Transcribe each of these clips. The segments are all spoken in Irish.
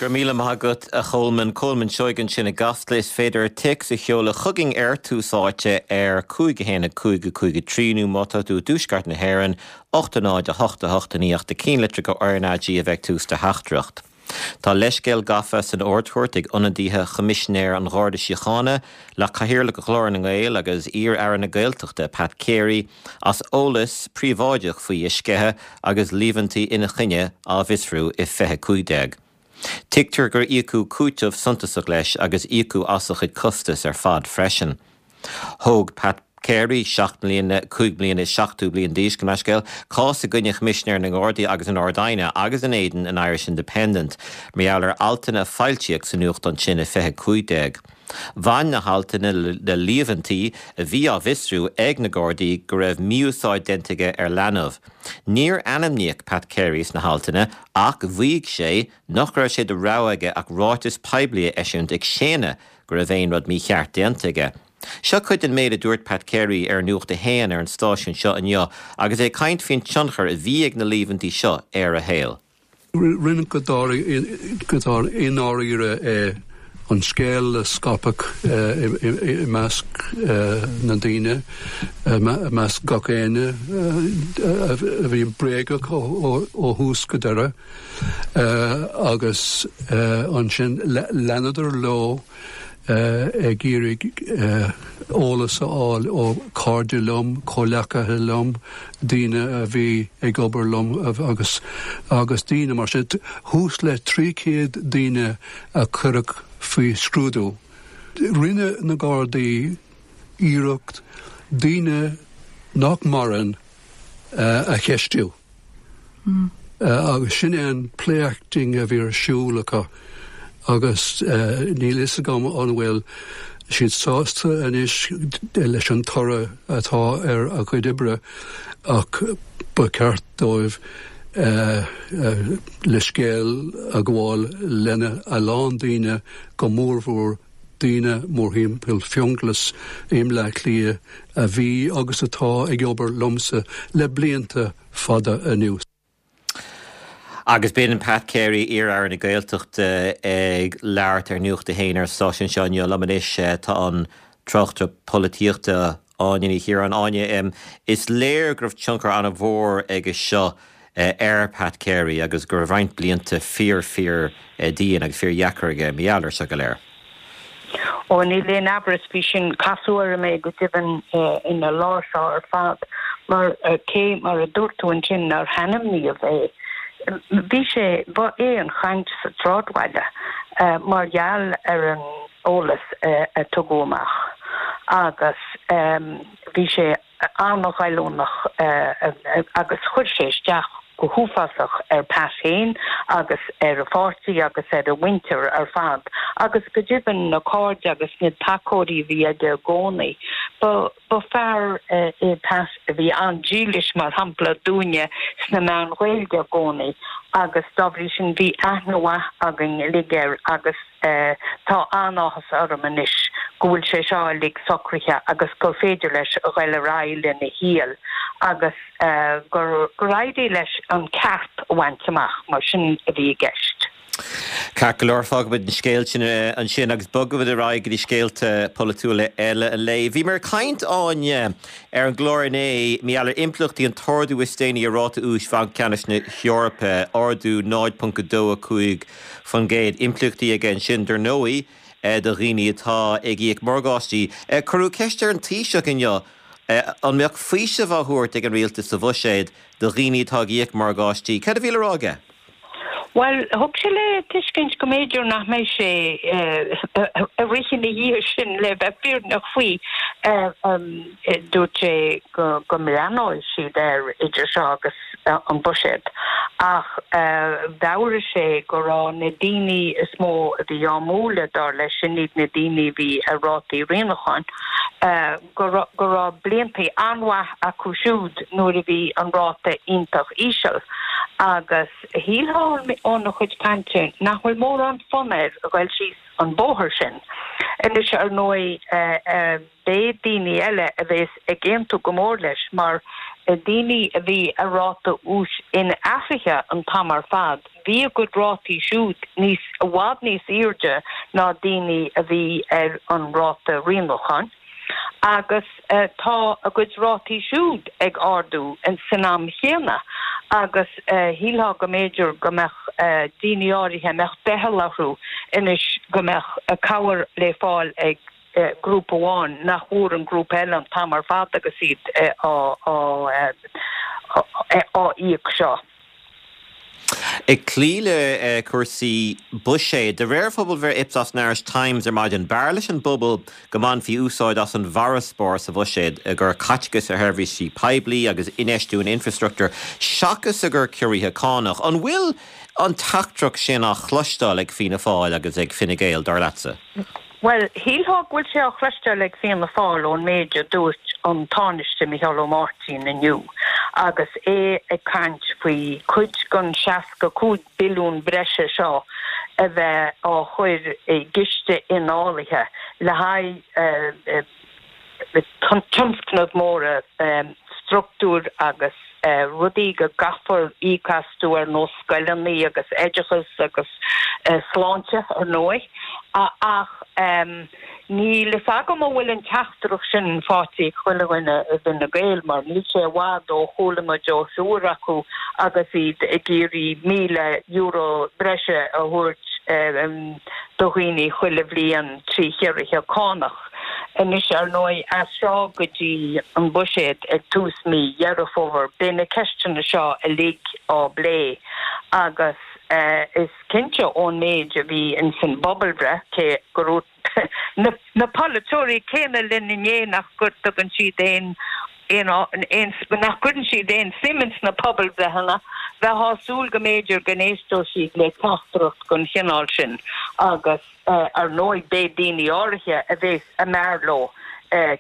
Go raibh míle maith agat, a Cholmáin. Colmán Seoighe ansin i gCasla. Is féidir téacs a sheoladh chugainn ar Tús Áite ar 5 1 5 5 3 nó má tá tú i dtuaisceart na hÉireann, 8 0 8 8 9 ach do cinnlitreacha RnaG a bheith ag tús do theachtaireacht. Tá leithscéal gafa san Ard-Chúirt ag ionadaithe Choimisinéir an Gharda Síochána le Cathaoirleach Ghlór na nGael agus iar-aire na Gaeltachta, Pat Carey, as eolas príobháideach faoi a sceitheadh agus líomhaintí ina choinne á bhfiosrú i 2015. Tuigtear gur íocadh cúiteamh suntasach leis agus íocadh as a chuid costas ar fad freisin. Thóg Pat Carey, 7 mbliana, 5 bliana is 70 bliain d'aois, gabh mo leithscéal, cás i gcoinne Choimisinéir na nGardaí agus an Ard-Aighne agus in éadan an Irish Independent mar gheall ar altanna a foilsíodh sa nuachtán sin i 2015. Bhain na haltanna le líomhaintí a bhí á bhfiosrú ag na Gardaí go raibh mí-úsáid déanta aige ar leanbh. Níor ainmníodh Pat Carey sna haltanna ach mhaígh sé nach raibh sé de rogha aige ach ráiteas poiblí a eisiúint ag séanadh go raibh aon rud mícheart déanta aige. Seo cuid den méid a dúirt Pat Carey ar Nuacht a hAon ar an stáisiún seo inniu agus é ag caint faoin tionchar a bhí ag na líomhaintí seo ar a shaol. Rinneadh go i ndáiríre é an scéal a scaipeadh i measc na ndaoine, i measc gach éinne, a bhí bréagach ó thús go deireadh. Agus ansin leanadar leo ag iarraidh eolas a fháil ó chairde liom, comhleacaithe liom, daoine a bhí ag obair liom agus agus daoine mar sin. Thuas le 300 daoine a cuireadh faoi scrúdú. Rinne na Gardaí iarracht daoine nach maireann a cheistiú. Agus sin é an play-acting a bhí ar siúl acu agus níl fhios agam an bhfuil siad sásta anois leis an toradh atá ar a gcuid oibre ach ba cheart dóibh leithscéal a ghabháil lena a lán daoine, go mórmhór daoine mórthimpeall Fionnghlas i mBleá Cliath a bhí agus atá ag obair liomsa le blianta fada anuas. Agus b'in Pat Carey, iar-Aire na Gaeltachta, ag labhairt ar Nuacht a hAon ar an stáisiún seo inniu. Liom anois tá an tráchtaire polaitíochta Áine Ní Chiaráin. Áine, is léir go raibh tionchar an-mhór aige seo ar Pat Carey agus go raibh roinnt blianta fíor, fíor dian agus fíor dheacair aige mar gheall air seo go léir. Ó, níl aon amhras faoi sin. Casadh orm é go deimhin ina lá seo ar fad mar cé mar a dúirt tú ansin nár hainmníodh é, bhí sé, ba é an chaint sa tsráidbhaile mar gheall ar an eolas a tugadh amach agus bhí sé an-ghoilliúnach agus chuir sé isteach go huafásach ar Pat féin agus ar a pháirtí agus ar a mhuintir ar fad agus go deimhin na cairde agus na tacóirí a bhí aige i gcónaí. Ba ba fear é Pat a bhí an-dílis mar shampla dúinne sna meáin Ghaeilge i gcónaí agus dá bhrí sin bhí aithne mhaith againn uilig air agus Tá an-áthas orm anois go bhfuil sé seo uilig socraithe agus gur féidir leis a ghoil ar aghaidh lena shaol agus gur gur éirigh leis an ceart a bhaint amach, mar sin a bhí i gceist. Ceart go leor, fágfaimid an scéal sin ansin agus bogfaimid ar aghaidh go dtí scéalta polaitiúla eile an lae. Bhíomar ag caint, Áine, ar an gclár inné mar gheall ar impleachtaí an t-ardú is déanaí ar ráta úis Bhanc Ceannais na hEorpa, ardú 0.25 faoin gcéad. Impleachtaí aige ansin, dar ndóigh, do dhaoine atá ag íoc morgáistí. Cuireadh ceist ar an Taoiseach inniu an mbeadh faoiseamh á thabhairt ag an Rialtas sa Bhuiséad do dhaoine atá ag íoc morgáistí. Cad a bhí le rá aige? Bhuel, thug sé le tuiscint go mb'fhéidir nach mbeidh sé ag rith ina dhiaidh sin le bheith fírinneach faoi. Dúirt sé go mbreathnóidh siad air idir seo agus an Buiséad ach mheabhraigh sé go raibh na daoine is mó a bhí á mbualadh, dar leis, sin iad na daoine a bhí ar rátaí rianúcháin, go raibh blianta an-mhaith acu siúd nuair a bhí an ráta iontach íseal agus shílfeá óna chuid cainte nach bhfuil mórán fonn air a ghoil síos an bóthar sin. Anois, ar ndóigh, beidh daoine eile a bheas ag aontú go mór leis mar. Daoine a bhí ar ráta úis inathraithe an t-am ar fad, bhí a gcuid rátaí siúd níos, i bhfad níos airde ná daoine a bhí ar an ráta rianúcháin agus tá a gcuid rátaí siúd ag ardú san am chéanna agus shílfeá go mb'fhéidir go mbeadh daoine áirithe, a mbeadh doicheall orthu anois go mbeadh cabhair le fáil ag grúpa amháin nach bhfuair an grúpa eile an t-am ar fad agus iad á íoc seo. Ag cloí le cúrsaí buiséid, de réir phobalbhreith Ipsos and Irish Times ar maidin, b'fhearr leis an bpobal go mbainfí úsáid as an bhfarasbarr sa bhuiséad i gcur caiteachais ar sheirbhísí poiblí agus infheistiú in infreastruchtúr seachas i gcur ciorruithe cánach. An bhfuil an teachtaireacht sin á chloisteáil ag Fianna Fáil agus ag Fine Gael, dar leatsa? Bhuel, shílfeá go bhfuil sé á chloisteáil ag Fianna Fáil ón méid a dúirt an Tánaiste Micheál Ó Máirtín inniu agus é ag caint faoi cuid den 65 billiún breise seo a bheith á chur i gciste incháilithe le haghaidh tionscnaimh mhóra struchtúir agus rudaí go gcaithfear íoc astu ar nós scoileanna agus oideachas agus sláinte, ar ndóigh. Ach níl fhios agam an bhfuil an teachtaireacht sin faighte ag chuile dhuine i bhFine Gael mar níl sé i bhfad ó chuala muid ó thriúr acu agus iad ag iarraidh €1,000 breise a thabhairt do dhaoine chuile bhliain trí chiorruithe cánach. Anois, ar ndóigh, as seo go dtí an Buiséad ag tús mí Dheireadh Fómhair, beidh na ceisteanna seo uilig á bplé agus is cinnte ón méid a bhí ins an bpobalbhreith, cé gur dhúirt na polaiteoirí céanna linn inné nach dtugann siad aon aon nach gcuireann siad aon suim ins na pobalbhreitheanna, bheifeá ag súil go mb'fhéidir go n-éisteodh siad le teachtaireacht den chineál sin agus. Ar ndóigh, beidh daoine áirithe a bheas a mb'fhearr leo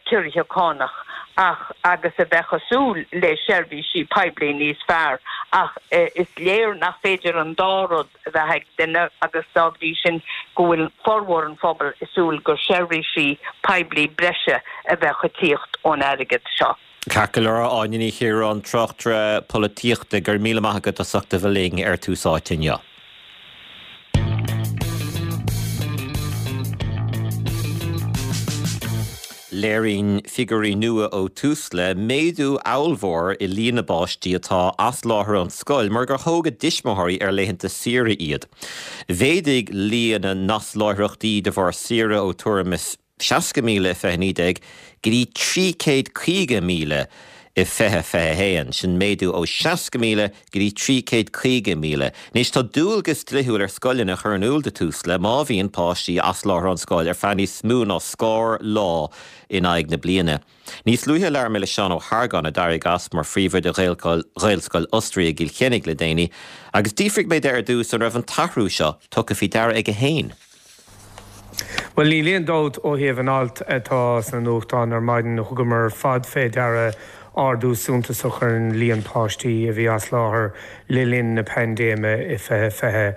ciorruithe cánach ach agus a bheadh ag súil le seirbhísí poiblí níos fearr ach is léir nach féidir an dá rud a bheith ag duine agus dá bhrí sin go bhfuil formhór an phobail ag súil gur seirbhísí poiblí breise a bheadh ag tíocht ón airgead seo. Ceart go leor, Áine Ní Chiaráin, tráchtaire polaitíochta, go raibh míle maith agat as ucht a bheith linn ar Tús Áite inniu. Léiríonn figiúirí nua ó Tusla méadú ollmhór i líon na bpáistí atá as láthair ón scoil mar gur thóg a dtuismitheoirí ar laethanta saoire iad. Mhéadaigh líon na n-asláithreachtaí de bharr saoire ó tuairim is 60,000 i 2019 go dtí 350,000 i 2021. Sin méadú ó 60,000 go dtí 350,000. Anois tá dualgas dlíthiúil ar scoileanna a chur in iúl do Tusla má bhíonn páistí as láthair ón scoil ar feadh níos mó ná scór lá in aghaidh na bliana. Níos luaithe labhair mé le Seán Ó hArgáin a d'éirigh as mar phríomhoide Ghaelscoil Osraí i gCill Chainnigh le déanaí agus d'fhiafraigh mé de ar dtús an raibh an t-athrú seo tugtha faoi deara aige féin. Bhuel, níl aon dabht ó thaobh an alt atá sna nuachtáin ar maidin, thugamar ar fad fé deara ardú suntasach ar an líon páistí a bhí as láthair le linn na paindéime i 2020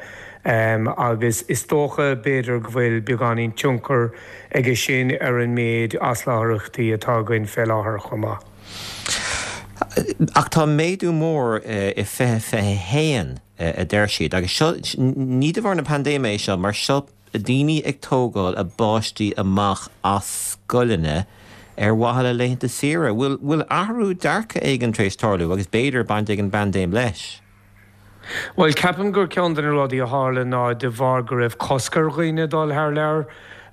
agus is dócha, b'fhéidir, go bhfuil beagáinín tionchar aige sin ar an méid asláithreachtaí atá againn fé láthair chomh maith. Ach tá méadú mór i 2021. a deir siad. Agus seo, ní de bharr na paindéime é seo, mar seo daoine ag tógáil a bpáistí amach as scoileanna ar mhaithe le laethanta saoire. Bhfuil, bhfuil athrú dearcaidh éigin tar éis tarlú agus b'fhéidir baint ag an bpaindéim leis? Bhuel, ceapaim gur ceann de na rudaí a tharla ná de bharr go raibh cosc ar dhaoine dul thar lear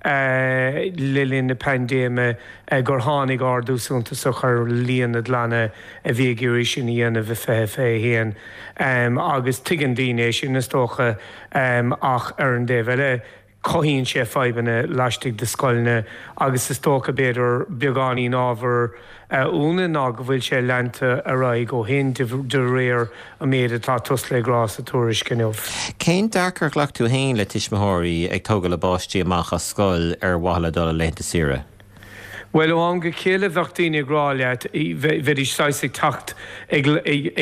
le linn na paindéime gur tháinig ardú suntasach ar líon na gclanna a bhí ag iarraidh sin a dhéanamh i 2021. Agus tuigeann daoine é sin, is dócha, ach ar an dtaobh eile, cothaíonn sé fadhbanna laistigh de scoileanna agus is dócha, b'fhéidir, beagáinín ábhar ionaidh ná go bhfuil sé leanta ar aghaidh ó shin de réir an méid atá Tusla ag rá sa tuairisc inniu. Cén dearcadh ar ghlac tú féin le tuismitheoirí ag tógáil a bpáistí amach as scoil ar mhaithe le dul ar laethanta saoire? Bhuel, ó am go chéile bheadh daoine ag rá leat, bheidís saghas ag teacht ag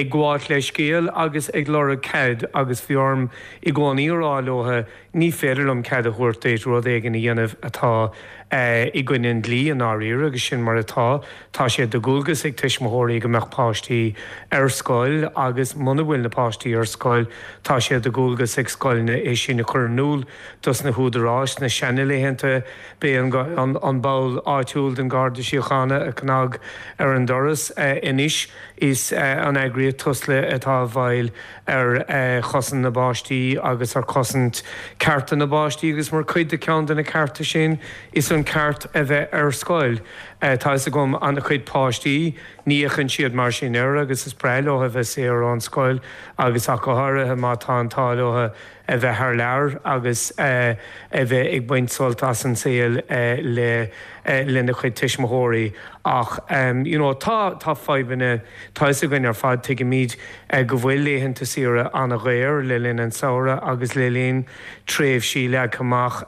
gabháilt leithscéal agus ag lorg cead agus bhí orm i gcónaí a rá leo, ní féidir liom cead a thabhairt duit rud éigin a dhéanamh atá. i gcoinne an dlí i ndáiríre agus sin mar atá. Tá sé de dhualgas ag tuismitheoirí go mbeadh páistí ar scoil agus muna bhfuil na páistí ar scoil tá sé de dhualgas ag scoileanna é sin a chur in iúl dos na húdaráis. Sna seanalaethanta b'é an ball áitiúil den Gharda Síochána a chnag ar an doras. Anois is an eagraíocht Tusla atá i bhfeighil ar chosaint na bpáistí agus ar chosaint cearta na bpáistí agus mar chuid de cheann de na cearta sin is an ceart a bheith ar scoil. Tá fhios agam an-chuid páistí, ní fhéachann siad mar sin air agus is breá leo a bheith saor ón scoil agus ach go háirithe má tá an t-ádh leo a bheith thar lear agus a bheith ag baint sult as an saol le lena chuid tuismitheoirí ach you know tá tá fadhbanna tá fhios againn ar fad tuigimid go bhfuil laethanta saoire an-dhaor le linn an tsamhraidh agus le linn tréimhsí leagtha amach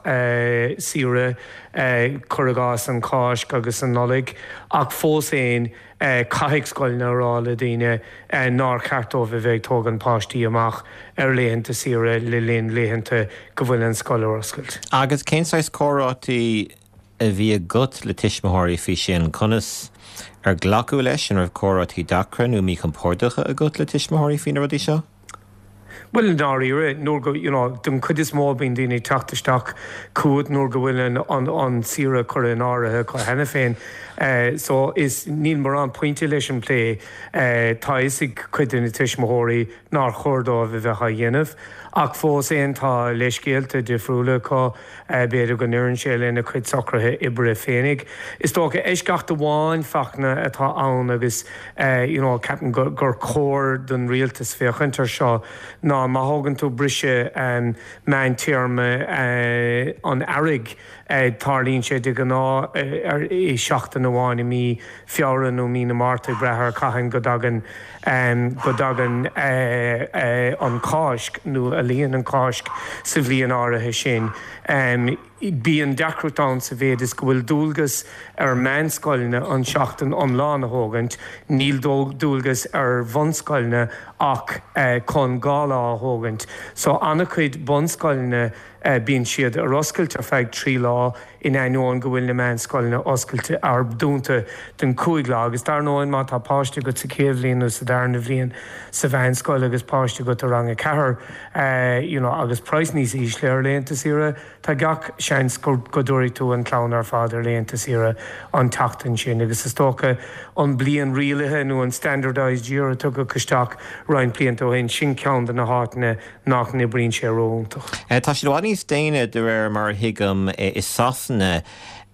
saoire cuir i gcás an Cháisc agus an Nollaig ach fós fhéin Caithfidh scoileanna a rá le daoine nár cheart dóibh a bheith ag tógaint páistí amach ar laethanta saoire le linn laethanta go bhfuil an scoil ar oscailt. Agus cén saghas comhráití a bhí agat le tuismitheoirí faoi sin? Conas ar glacadh leis? An raibh comhráití deacra nó míchompordacha agat le tuismitheoirí faoi na rudaí seo? Bhuel, i ndáiríre, nuair go, you know, den chuid is mó bíonn daoine ag teacht isteach chugat nuair go bhfuil an, an, an saoire curtha in áirithe acu cheana féin. So is, níl mórán pointe leis an bplé. Tá a fhios ag cuid de na tuismitheoirí nár chóir dóibh a bheith á dhéanamh. Ach fós fhéin tá leithscéalta difriúla acu. B'fhéidir go n-oireann sé lena cuid socruithe oibre féinig. Is dócha eisceacht amháin, Fachtna, atá ann agus you know ceapaim gur chóir don rialtas féachaint ar seo ná má thógann tú briseadh meántéarma an earraigh, tarlaíonn sé de ghnáth i seachtain amháin i mí Feabhra nó mí na Márta ag brath ar cathain go dtagann go dtagann an Cháisc nó a luíonn an Cháisc sa bhliain áirithe sin. Bíonn deacracht ann sa mhéid is go bhfuil dualgas ar mheánscoileanna an tseachtain iomlán a thógaint, níl dualgas ar bhunscoileanna ach chun 2 lá a thógaint. So an-chuid bunscoileanna bíonn siad ar oscailt ar feadh 3 lá, in ainneoin go bhfuil na meánscoileanna oscailte ar dúnta don 5 lá agus dar ndóigh má tá páiste agat sa chéad bhliain nó sa darna bhliain sa mheánscoil agus páiste agat i rang a 4 you know agus praghas níos ísle ar laethanta saoire tá gach seans go go dtabharfaidh tú an chlann ar fad ar laethanta saoire an tseachtain sin agus is dócha an bliain rialaithe nó an standardised year a tugadh isteach roinnt blianta ó shin sin ceann de na háiteanna nach n-oibríonn sé ró-iontach. Tá siad i bhfad níos déine, de réir mar a thuigim, i Sasana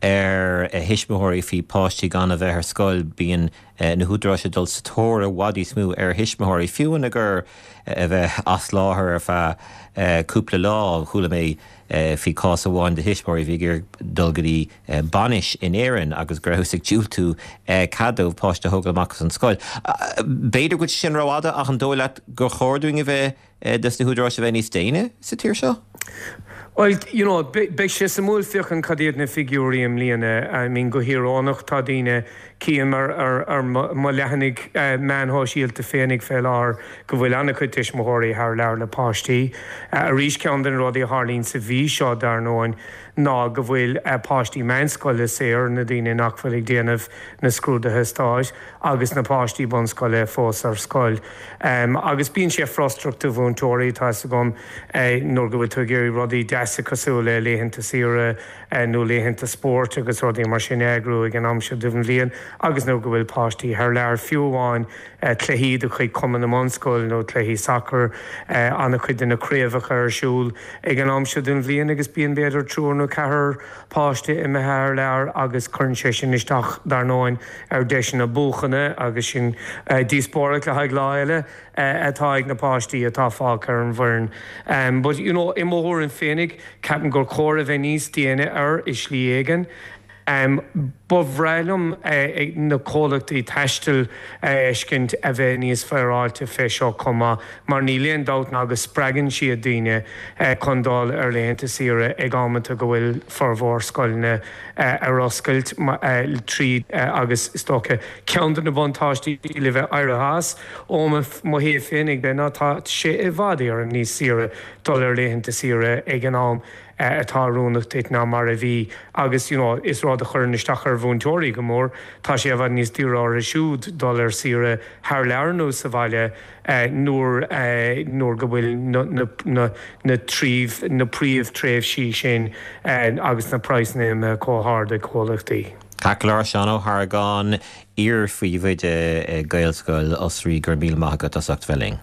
ar thuismitheoirí faoi páistí gan a bheith ar scoil. Bíonn na húdaráis ag dul sa tóir i bhfad níos mó ar thuismitheoirí, fiú ina gur a bheith as láthair ar feadh cúpla lá. Chuala mé faoi chás amháin de thuismitheoirí a bhí ag iarraidh dul go dtí bainis in Éirinn agus go rabhthas ag diúltú cead dóibh páiste a thógáil amach as an scoil. B'fhéidir go bhfuil sé sin rófhada ach an dóigh leat gur chóir dúinn a bheith, dos na húdaráis a bheith níos déine sa tír seo? Bhuel, you know, beidh sé suimiúil féachaint cad iad na figiúirí i mbliana. I mean, go híorónach, tá daoine, cím ar, ar, ar mo leathanaigh meáin shóisialta féinig fé láthair go bhfuil an-chuid tuismitheoirí thar lear le páistí. Arís, ceann de na rudaí a tharlaíonn sa mhí seo, dar ndóigh, ná go bhfuil páistí meánscoile saor, na daoine nach bhfuil ag déanamh na scrúduithe stáit, agus na páistí bunscoile fós ar scoil. Agus bíonn sé frustrach do mhúinteoirí, tá 'fhios agam, nuair go bhfuil tú ag iarraidh rudaí deasa cosúil le laethanta saoire nó laethanta spóirt agus rudaí mar sin a eagrú ag an am seo den bhliain agus nuair go bhfuil páistí thar lear, fiú amháin cluichí de chuid Chumann na mBunscol nó cluichí sacair, an-chuid de na craobhacha ar siúl ag an am seo den bhliain agus bíonn b'fhéidir triúr nó ceathrar páiste imithe thar lear agus cuireann sé sin isteach, dar ndóigh, ar deiseanna buachana agus sin díospóireacht le haghaidh lá eile atá ag na páistí atá fágtha ar an bhfoireann. But, you know, i mo thuairim féinig, ceapaim gur chóir a bheith níos déine air i slí éigin. Ba bhreá liom na comhlachtaí taistil a fheiscint a bheith níos féaráilte fé seo chomh maith mar níl aon dabht ná go spreagann siad daoine chun dul ar laethanta saoire ag amanta go bhfuil formhór scoileanna ar oscailt tríd agus is dócha ceann de na buntáistí le bheith éirithe as ó mo thaobh féinig de ná tá sé i bhfad Éireann níos saoire dul ar laethanta saoire ag an am. atá oiriúnach duit ná mar a bhí agus you know is rud a chuireann isteach ar mhúinteoirí go mór, tá sé i bhfad níos daoire orthu siúd dul ar saoire thar lear nó sa bhaile nuair nuair go bhfuil na na na na na príomh-tréimhsí sin agus na praghsanna imithe chomh hard ag comhlachtaí. Ceart go leor, Seán Ó hArgáin, iar-phríomhoide ag Gaelscoil Osraí, go raibh míle maith agat as ucht bheith linn.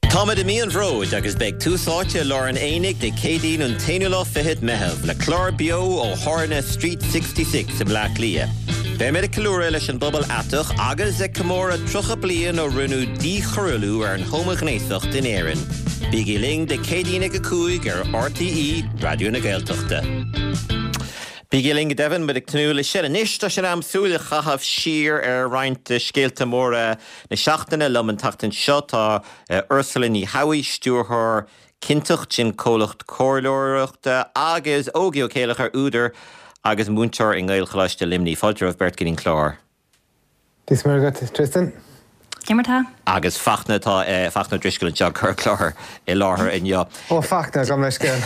Táimid i mí an Bhróid agus beidh Tús Áite i lár an aonaigh Dé Céadaoin an t-aonú lá fichead Meitheamh le clár beo ó thábhairne Street 66 i mBleá Cliath. Beimid ag ceiliúradh leis an bpobal aiteach agus ag comóradh 30 bliain ó rinneadh díchoiriúlú ar an homaighnéasacht in Éirinn. Bígí linn Dé Céadaoin ag 5 ar RTÉ Raidió na Gaeltachta. Bígí linn go deimhin, muid ag tnúth leis sin. Anois tá sé in am súil a chaitheamh siar ar roinnt de scéalta móra na seachtaine. Liom an tseachtain seo tá Ursula Ní Shabhaois, Stiúrthóir Cinnteacht, sin comhlacht comhairleoireachta, agus Ógie Ó Céileachair, údar agus múinteoir i nGaelcholáiste Luimnigh. Fáilte romhaibh beirt go dtí an clár. Dia is Muire dhuit, Tristan. Cé mar tá? Agus Fachtna, tá Fachtna Ó Drisceoil anseo ag cur clár i láthair inniu. Ó Fachtna, gabh mo leithscéal.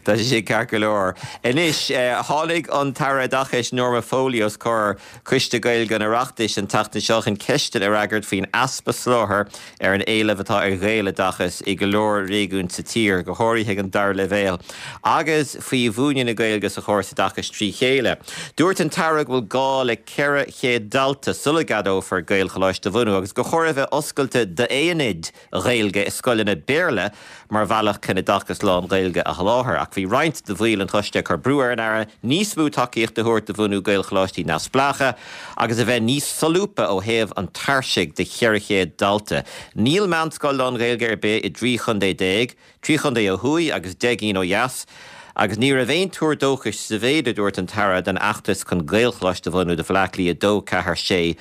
Tá sé sin ceart go leor. Anois, tháinig an tAire Oideachais Norma Foley os comhair Coiste Gaeilge an Oireachtais an tseachtain seo chun ceisteanna a fhreagairt faoin easpa soláthair ar an éileamh atá ar Ghaeloideachas i go leor réigiún sa tír, go háirithe ag an dara leibhéal, agus faoi mhúineadh na Gaeilge sa chóras oideachais trí chéile. Dúirt an tAire go bhfuil gá le 400 dalta sula gceadófar Gaelcholáiste a bhunú agus gur chóir a bheith oscailte d'aonaid Ghaeilge i scoileanna Béarla mar bhealach chun oideachas lán-Ghaeilge a sholáthar. Ach bhí roinnt de bhaill an choiste ag cur brú ar an Aire níos mó tacaíochta a thabhairt do bhunú Gaelcholáistí neamhspleácha agus a bheith níos solúbtha ó thaobh an tairsigh de 400 dalta. Níl meánscoil lán-Ghaeilge ar bith i dtrí chontae déag, trí chontae ó thuaidh agus 10 gcinn ó dheas, agus ní raibh aon tuar dóchais sa mhéid a dúirt an tAire don fheachtas chun Gaelcholáiste a bhunú do Bhaile Átha Cliath 2, 4, 6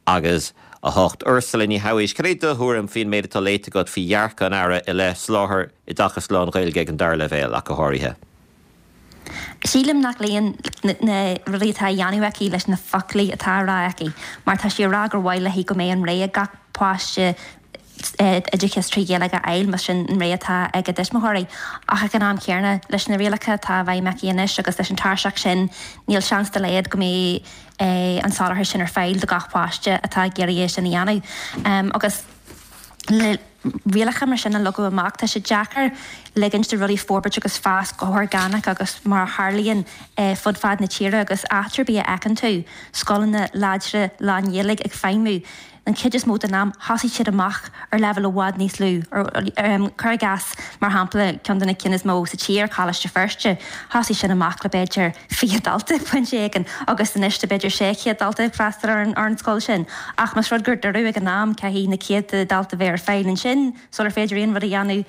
agus 8. Ursula Ní Shabhaois, cad é do thuairim faoin méid atá léite agat faoi dhearcadh an Aire i leith soláthar oideachas lán-Ghaeilge ag an dara leibhéal, ach go háirithe? Sílim nach luíonn na rudaí atá á dhéanamh aici leis na foclaí atá á rá aici, mar tá sí ag rá gur mhaith léi go mbeidh an rogha ag gach páiste oideachas trí Ghaeilge a fháil, más sin an rogha atá ag a dtuismitheoirí. Ach ag an am céanna, leis na rialacha atá i bhfeidhm aici anois agus leis an tairseach sin, níl seans dá laghad go mbeidh an soláthar sin ar fáil do gach páiste atá ag iarraidh é sin a dhéanamh. Agus le rialacha mar sin a leagadh amach, tá sé deacair ligint do rudaí forbairt agus fás go horgánach agus mar a tharlaíonn fud fad na tíre agus áit ar bith a fheiceann tú scoileanna láidre lán-Ghaeilge ag feidhmiú. An chuid is mó den am, thosaigh siad amach ar leibhéal i bhfad níos lú. Cuir i gcás, mar shampla, ceann de na cinn is mó sa tír, Coláiste Feirste, thosaigh sin amach le b'fhéidir 20 dalta ag pointe éigin agus anois tá b'fhéidir 600 dalta ag freastal ar an scoil sin. Ach más rud gur dúradh ag an am, caithfidh na céadta dalta bheith ar fáil ansin sular féidir aon rud a dhéanamh,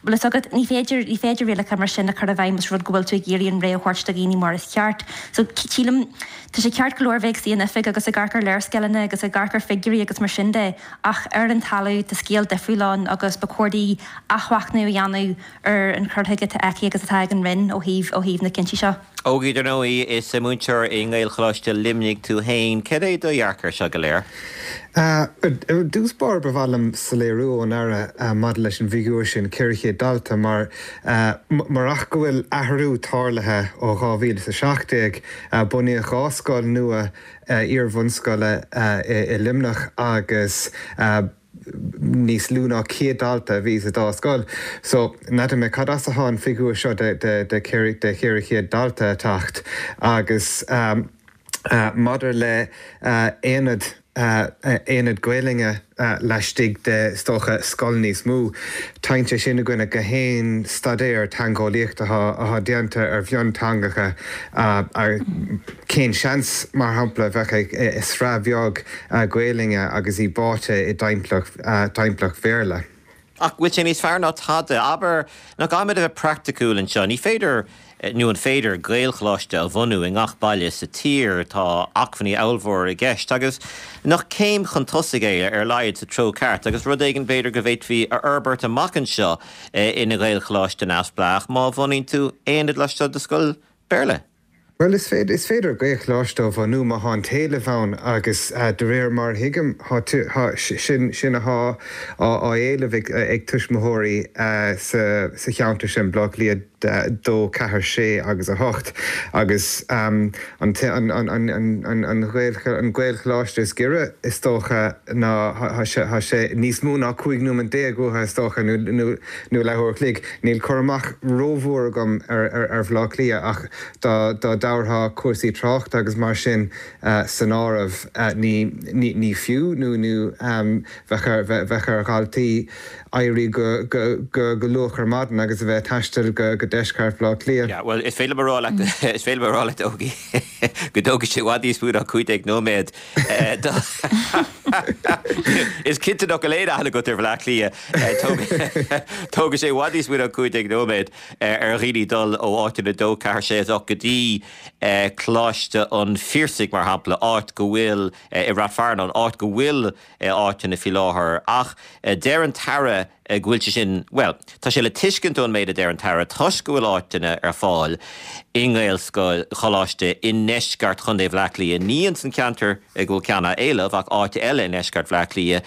Bhfuil fhios agat, ní féidir, ní féidir rialacha mar sin a chur i bhfeidhm os rud go bhfuil tú ag iarraidh an rogha a thabhairt do dhaoine mar is ceart. So, sílim, tá sé ceart go leor bheith ag suí in oifig agus ag amharc ar léarscáileanna agus ag amharc ar figiúirí agus mar sin de, ach ar an talamh tá scéal difriúil ann agus ba chóir di athmhachnamh a dhéanamh ar an chur chuige atá aici agus atá ag an Roinn ó thaobh, ó thaobh na cinntí seo. Ógie, dar ndóigh, is múinteoir i nGaelcholáiste Luimnigh tú féin. Cad é do dhearcadh air seo go léir? I dtús báire ba mhaith liom soiléiriú ón Aire maidir leis an bhfigiúr sin, 400 dalta, mar murach go bhfuil athrú tarlaithe ó 2017, bunaíodh 2 scoil nua iar-bhunscoile i Luimneach agus níos lú ná 100 dalta a bhí sa dá scoil. So, n'fheadar mé cad as atá an figiúr seo de 400 dalta ag teacht. Agus maidir le aonad, aonad Gaelainne laistigh de, is dócha, scoil níos mó, téann sé sin i gcoinne gach aon staidéar teangeolaíochta atá déanta ar mhionteangacha. Cén seans, mar shampla, a bheadh ag sraith bheag Gaelainne agus í báite i dtimpeallacht Bhéarla? Ach bhfuil sé níos fearr ná tada? Abair, nach gcaithfimid a bheith praiticiúil anseo? Ní féidir, nó an féidir, Gaelcholáiste a bhunú i ngach baile sa tír? Tá acmhainní ollmhóra i gceist. Agus nach céim chun tosaigh é, ar a laghad, sa treo ceart, agus rud éigin b'fhéidir go bhféadfaí a fhorbairt amach anseo ina Ghaelcholáiste neamhspleách má bhunaíonn tú aonad laistigh de scoil Béarla? Bhuel, is féidir, is féidir Gaelcholáiste a bhunú má thá an t-éileamh ann agus de réir mar a thuigim, thá, thá, sin, sin athá á, á éileamh ag, ag tuismitheoirí sa, sa cheantar sin, Baile Átha Cliath 2, 4, 6 agus 8 agus an, an, an, an, an, an Gaelcholáiste is giorra is dócha ná, thá sé, thá sé níos mó ná 15 nóiméad uathu is dócha nó, nó, nó leathuair a chloig. Níl cur amach rómhór agam ar, ar, ar Bhaile Átha Cliath ach dá dtabharfá cúrsaí tráchta agus mar sin san áireamh, ní fiú nó bheadh ar dhaltaí éirí go luath ar maidin agus a bheith ag taisteal go deisceart Bhaile Átha Cliath. Yeah, bhuel, is féidir liom a rá leat, is féidir liom a rá leat, Ógie, go dtógfaidh sé i bhfad níos mó ná 15 nóiméad. Is cinnte nach bhfuil aon aithne agat ar Bhaile Átha Cliath. Tógfaidh sé i bhfad níos mó ná 15 nóiméad. ar dhaoine dul ó áiteanna 2, 4, 6, 8 go dtí Coláiste an Phiarsaigh, mar shampla, áit go bhfuil, i Rath Fearnáin, áit go bhfuil áiteanna faoi láthair. Ach deir an tAire go bhfuil sé sin, bhuel, tá sé le tuiscint ón méid a deir an tAire, toisc go bhfuil áiteanna ar fáil i nGaelscoil, Choláiste i ndeisceart Chontae Bhaile Átha Cliath, ní ins an cheantar go bhfuil ceann á éileamh ach áit eile i ndeisceart Bhaile Átha Cliath,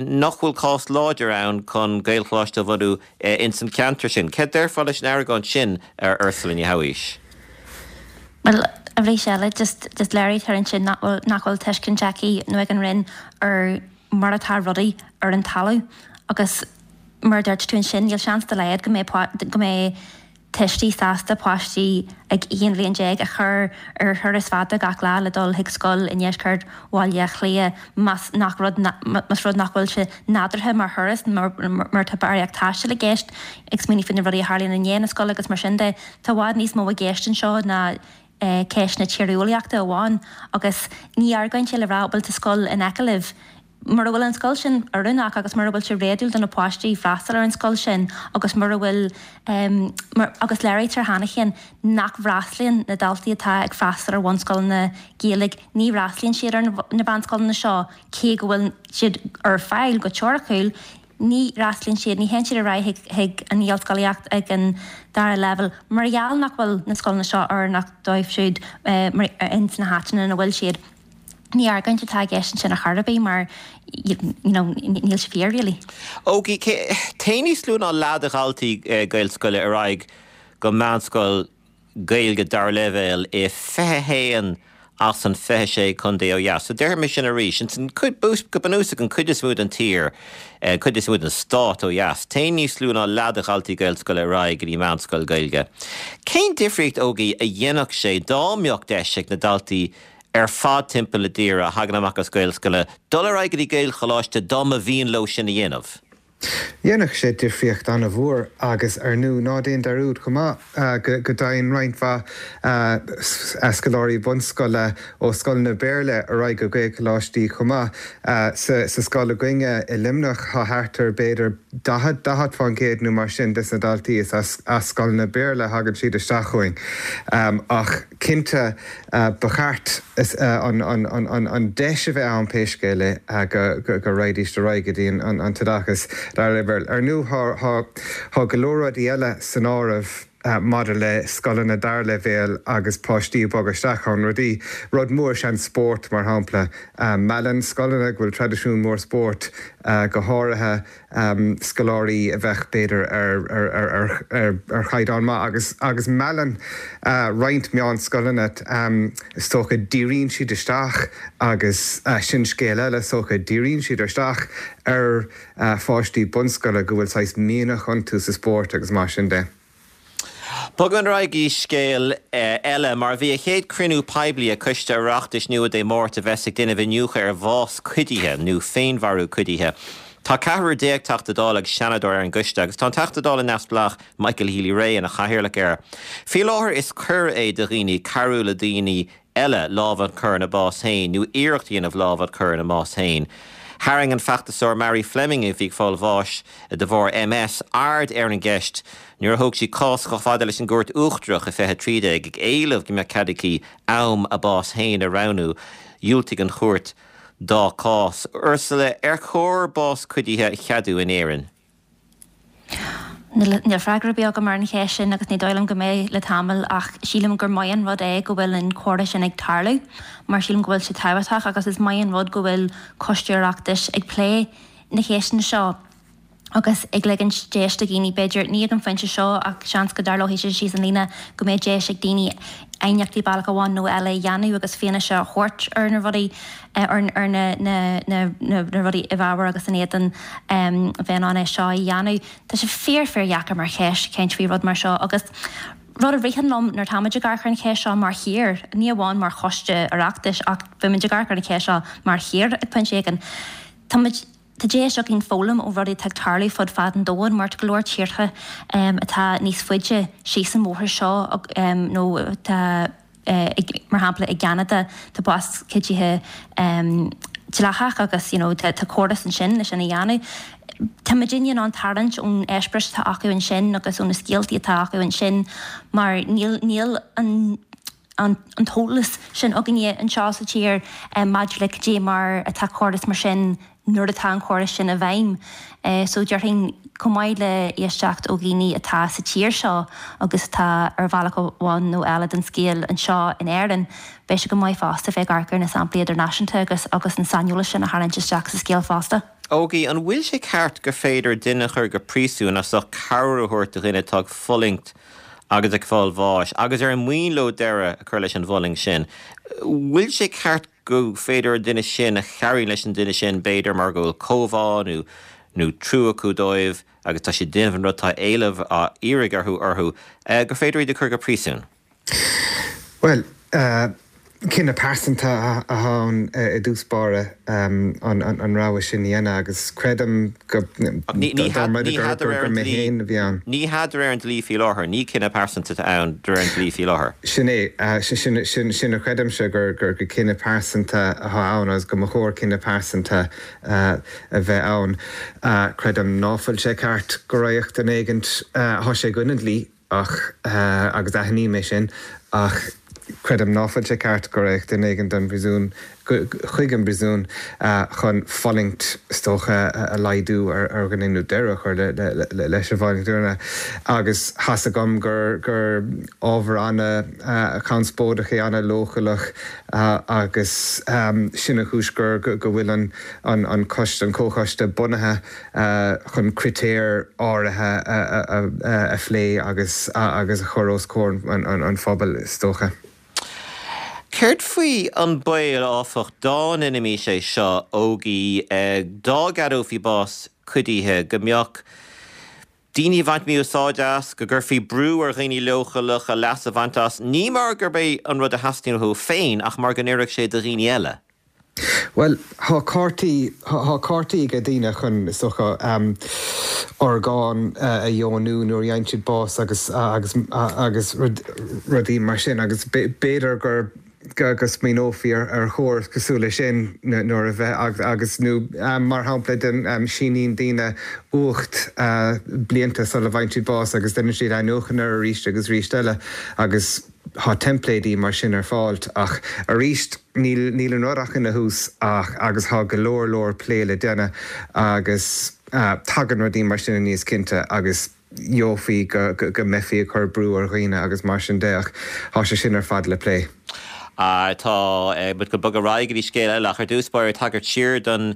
nach bhfuil cás láidir ann chun Gaelcholáiste a bhunú ins an cheantar sin. Céard déarfá leis an argóint sin, a Ursula Ní Shabhaois? Bhuel, arís eile, just, just léirítear ansin nach bhfuil, nach bhfuil tuiscint aici nó ag an Roinn ar mar atá rudaí ar an talamh agus mar a dúirt tú ansin, níl seans dá laghad go mbeidh, go mbeidh tuistí sásta páistí ag 11 bhliain a chur ar thuras fada gach lá le dul chuig scoil i ndeisceart Bhaile Átha Cliath más nach rud más rud nach bhfuil sé nádúrtha mar thuras mar mar tá barraíocht taistil i gceist, ag smaoineamh faoi na rudaí a tharlaíonn i ndiaidh na scoile agus mar sin de. Tá i bhfad níos mó i gceist anseo ná ceist na tíreolaíochta amháin agus ní argóint é le rá bhuel tá scoil in aice libh. Mura bhfuil an scoil sin oiriúnach agus mura bhfuil sé réadúil do na páistí freastal ar an scoil sin agus mura bhfuil agus léirítear cheana féin nach bhfreastlaíonn na daltaí atá ag freastal ar bhunscoileanna Gaeilge, ní fhreastlaíonn siad ar na meánscoileanna seo cé go bhfuil siad ar fáil go teoiriciúil, ní fhreastlaíonn siad, ní théann siad ar aghaidh chuig an Ghaelscolaíocht ag an dara leibhéal mar gheall nach bhfuil na scoileanna seo oiriúnach dóibh siúd ins na háiteanna ina bhfuil siad. Ní argóint atá i gceist ansin ar chor ar bith mar you know níl sé fíor really. Ógie, téann níos lú ná leath de dhaltaí Gaelscoile ar aghaidh go meánscoil Gaeilge dara leibhéal i 21 as an 26 contae ó dheas. So déarfaidh mé sin arís, ins an cuid, go bunúsach an cuid is mó den tír, an cuid is mó den stát ó dheas, téann níos lú ná leath de dhaltaí Gaelscoile ar aghaidh go dtí meánscoil Gaeilge. Cén difríocht, Ógie, a dhéanfadh sé dá mbeadh deis ag na daltaí ar fad timpeall na tíre a thagann amach as Gaelscoileanna dul ar aghaidh go dtí Gaelcholáiste dá mba mhian leo sin a dhéanamh. Dhéanfadh sé difríocht an-mhór agus ar ndú ná déan dearúd chomh maith go dtéann roinnt mhaith scoláirí bunscoile ó scoileanna Béarla ar aghaidh go Gaelcholáistí chomh maith. Sa scoil againne i Luimneach tá thart ar b'fhéidir 40, 40% nó mar sin des na daltaí is as scoileanna Béarla a thagann siad isteach chugainn ach Cinnte, ba cheart an deis a bheith ann pé scéal é go raghaidís ar aghaidh go dtí an t-oideachas dara leibhéal. Ar ndóigh, tá go leor rudaí eile san áireamh maidir le scoileanna dara leibhéal agus páistí ag bogadh isteach ann. Rudaí, rud mór is ea an spórt, mar shampla. Meallann scoileanna go bhfuil traidisiún mór spóirt, go háirithe, scoláirí a bheadh, b'fhéidir, ar chaighdeán maith agus agus meallann roinnt meánscoileanna, is dócha, díríonn siad isteach agus sin scéal eile, is dócha, díríonn siad isteach ar pháistí bunscoile go bhfuil saghas mianach iontu sa spórt agus mar sin de. Bogaim ar aghaidh go dtí scéal eile. Mar bhí a chéad cruinniú poiblí ag Coiste Oireachtais nua Dé Máirt a bheas ag déanamh iniúchadh ar bhás cuidithe nó féinmharú cuidithe. Tá ceathrar déag Teachta Dála agus Seanadóir ar an gcoiste agus tá an Teachta Dála neamhspleách Michael Healy-Rae ina chathaoirleach air. Faoi láthair is coir é do dhaoine cabhrú le daoine eile lámh a chur ina bás féin nó iarracht a dhéanamh lámh a chur ina mbás féin. Tharraing an feachtasóir Mary Fleming, a bhí ag fáil bháis de bharr MS, aird ar an gceist nuair a thóg sí cás chomh fada leis an gCúirt Uachtarach i 2013 ag éileamh go mbeadh cead aici am a bás féin a roghnú. Dhiúltaigh an chúirt dá cás. Ursula, ar chóir bás cuidithe a cheadú in Éirinn? Níl freagra ar bith agam ar an cheist sin agus ní dóigh liom go mbeidh le tamall ach sílim gur maith an rud é go bhfuil an comhrá sin ag tarlú mar sílim go bhfuil sé tábhachtach agus is maith an rud go bhfuil Coiste Oireachtais ag plé na ceisteanna seo agus ag ligint deis do dhaoine, b'fhéidir, ní ag an phointe seo ach seans go dtarlóidh sé síos an líne, go mbeidh deis ag daoine aighneachtaí bealach amháin nó eile a dhéanamh agus fianaise a thabhairt ar na rudaí, ar na rudaí i bhfabhar agus in éadan bheith in ann é seo a dhéanamh. Tá sé fíor fíor dheacair mar cheist caint faoi rud mar seo agus rud a ritheann liom nuair atáimid ag amharc ar an cheist seo mar thír, ní amháin mar choiste Oireachtais ach beimid ag amharc ar an cheist seo mar thír ag pointe éigin, táimid, Tá deis againn foghlaim ó rudaí atá ag tarlú fud fad an domhain mar tá go leor tíortha atá níos faide síos an bhóthar seo nó atá, mar shampla i gCeanada, tá bás cuidithe dleathach agus you know tá córas ansin le sin a dhéanamh. Tá muidinne in ann tarraingt ón eispéireas atá acu ansin agus ó na scéaltaí atá acu ansin mar níl níl an an t-eolas sin againne anseo sa tír maidir le cad é mar atá córas mar sin nuair atá an córas sin i bhfeidhm. So déarfainn, chomh maith le éisteacht ó dhaoine atá sa tír seo agus atá ar bhealach amháin nó eile den scéal anseo in Éirinn, beidh sé go maith fosta bheith ag amharc ar na samplaí idirnáisiúnta agus agus an saineolas sin a tharraingt isteach sa scéal fosta. Ógie, an bhfuil sé ceart gur féidir duine a chur go príosún as ucht cabhair a thabhairt do dhuine atá ag fulaingt agus ag fáil bháis, agus ar mian leo deireadh a chur leis an bhfulaingt sin. Bhfuil sé ceart go féidir an duine sin a chabhraíonn leis an duine sin, b'fhéidir mar go bhfuil comhbhá nó nó trua acu dóibh agus tá siad ag déanamh an rud atá éileamh á iarraidh orthu orthu, gur féidir iad a chur go príosún? Bhuel, cinneadh pearsanta atá ann i dtús báire an rogha sin a dhéanamh agus creidim go dá mba gur mé féin a bhí ann. Ní hea de réir an dlí faoi láthair. Ní cinneadh pearsanta atá ann de réir an dlí faoi láthair. Sin é. Sin a chreidimse, gur cinneadh pearsanta atá ann agus go mba chóir cinneadh pearsanta a bheith ann. Creidim ná fuil sé ceart go raghadh duine éigint, tá sé i gcoinne an dlí, Ach, agus aithním é sin, ach creidim ná fuil sé ceart go raghadh duine éigin don bpríosún, chuig an bpríosún, chun fulaingt, is dócha, a laghdú ar dhuine nó deireadh a chur leis an bhfulaingt ar dhuine. Agus tá's agam gur, gur ábhar ana-chonspóideach é, ana-leochaileach agus sin an chúis gur, go bhfuil an, an coiste, an comhchoiste bunaithe. chun critéir áirithe a phlé agus agus a chur os comhair an phobail, is dócha. Céard faoi an baol, áfach, dá ndéanfaimis é seo, Ógie, dá gceadófaí bás cuidithe, go mbeadh daoine ag baint mí-úsáide as, go gcuirfí brú ar dhaoine leochaileacha leas a bhaint as, ní mar gurb é an rud a theastaíonn uathu féin ach mar go n-oirfeadh sé do dhaoine eile? Bhuel, tá cártaí, tá cártaí ag daoine chun, is dócha, orgáin a dheonú nuair a fhaigheann siad bás agus, agus, agus rudaí mar sin agus b'fhéidir gur, go smaoineofaí ar chóras cosúil leis sin nuair a bheith, agus, nó mar shampla, síníonn daoine uacht blianta sula bhfaigheann siad bás agus déanann siad athnuachan air arís agus arís eile agus. Tá teimpléidí mar sin ar fáil ach arís níl níl an rud ach ina thús ach agus tá go leor leor plé le déanamh agus tagann rudaí mar sin aníos cinnte agus gheofaí go go mbeifí ag cur brú ar dhaoine agus mar sin de ach tá sé sin ar fad le plé. Tá muid ag bogadh ar aghaidh go dtí scéal eile ach ar dtús báire tagairt siar don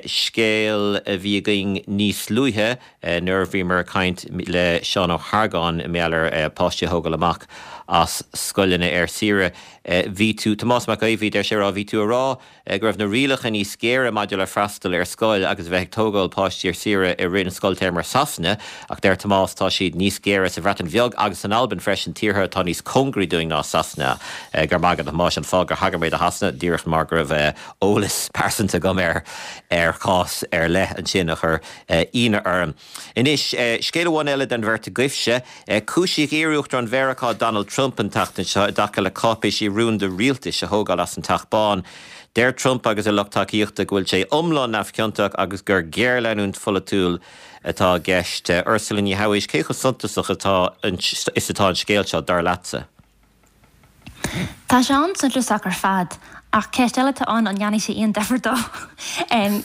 scéal a bhí againn níos luaithe nuair a bhíomar ag caint le Seán Ó hArgáin i ngeall ar páistí a thógáil amach as scoileanna ar saoire. Bhí tú, Tomás Mac Aodha Bhuí, deir sé a rá, bhí tú a rá go raibh na rialacha níos géire maidir le freastal ar scoil agus a bheith ag tógáil páistí ar saoire i rith an scoiltéarma i Sasana, ach deir Tomás tá siad níos géire sa Bhreatain Bheag agus san Albain freisin, tíortha atá níos cóngaraí dúinn ná Sasana. Go raibh maith agat a Thomáis, an fáth gur thagair mé do Shasana, díreach mar go raibh eolas pearsanta agam ar ar chás ar leith ansin a chuir ionadh orm. Anois, scéal amháin eile den bheirt agaibhse. Cúisíodh iar-Uachtarán Mheiriceá Donald Trump an tseachtain seo i dtaca le cáipéisí rúnda rialtais a thógáil as an Teach Bán. Deir Trump agus a lucht tacaíochta go bhfuil sé iomlán neamhchiontach agus gur géarleanúint pholaitiúil atá i gceist. Ursula Ní Shabhaois, cé chomh suntasach atá is atá an scéal seo, dar leatsa? Tá sé an-suntasach ar fad. Ach ceist eile atá ann, an ndéanfaidh sé aon difear dó?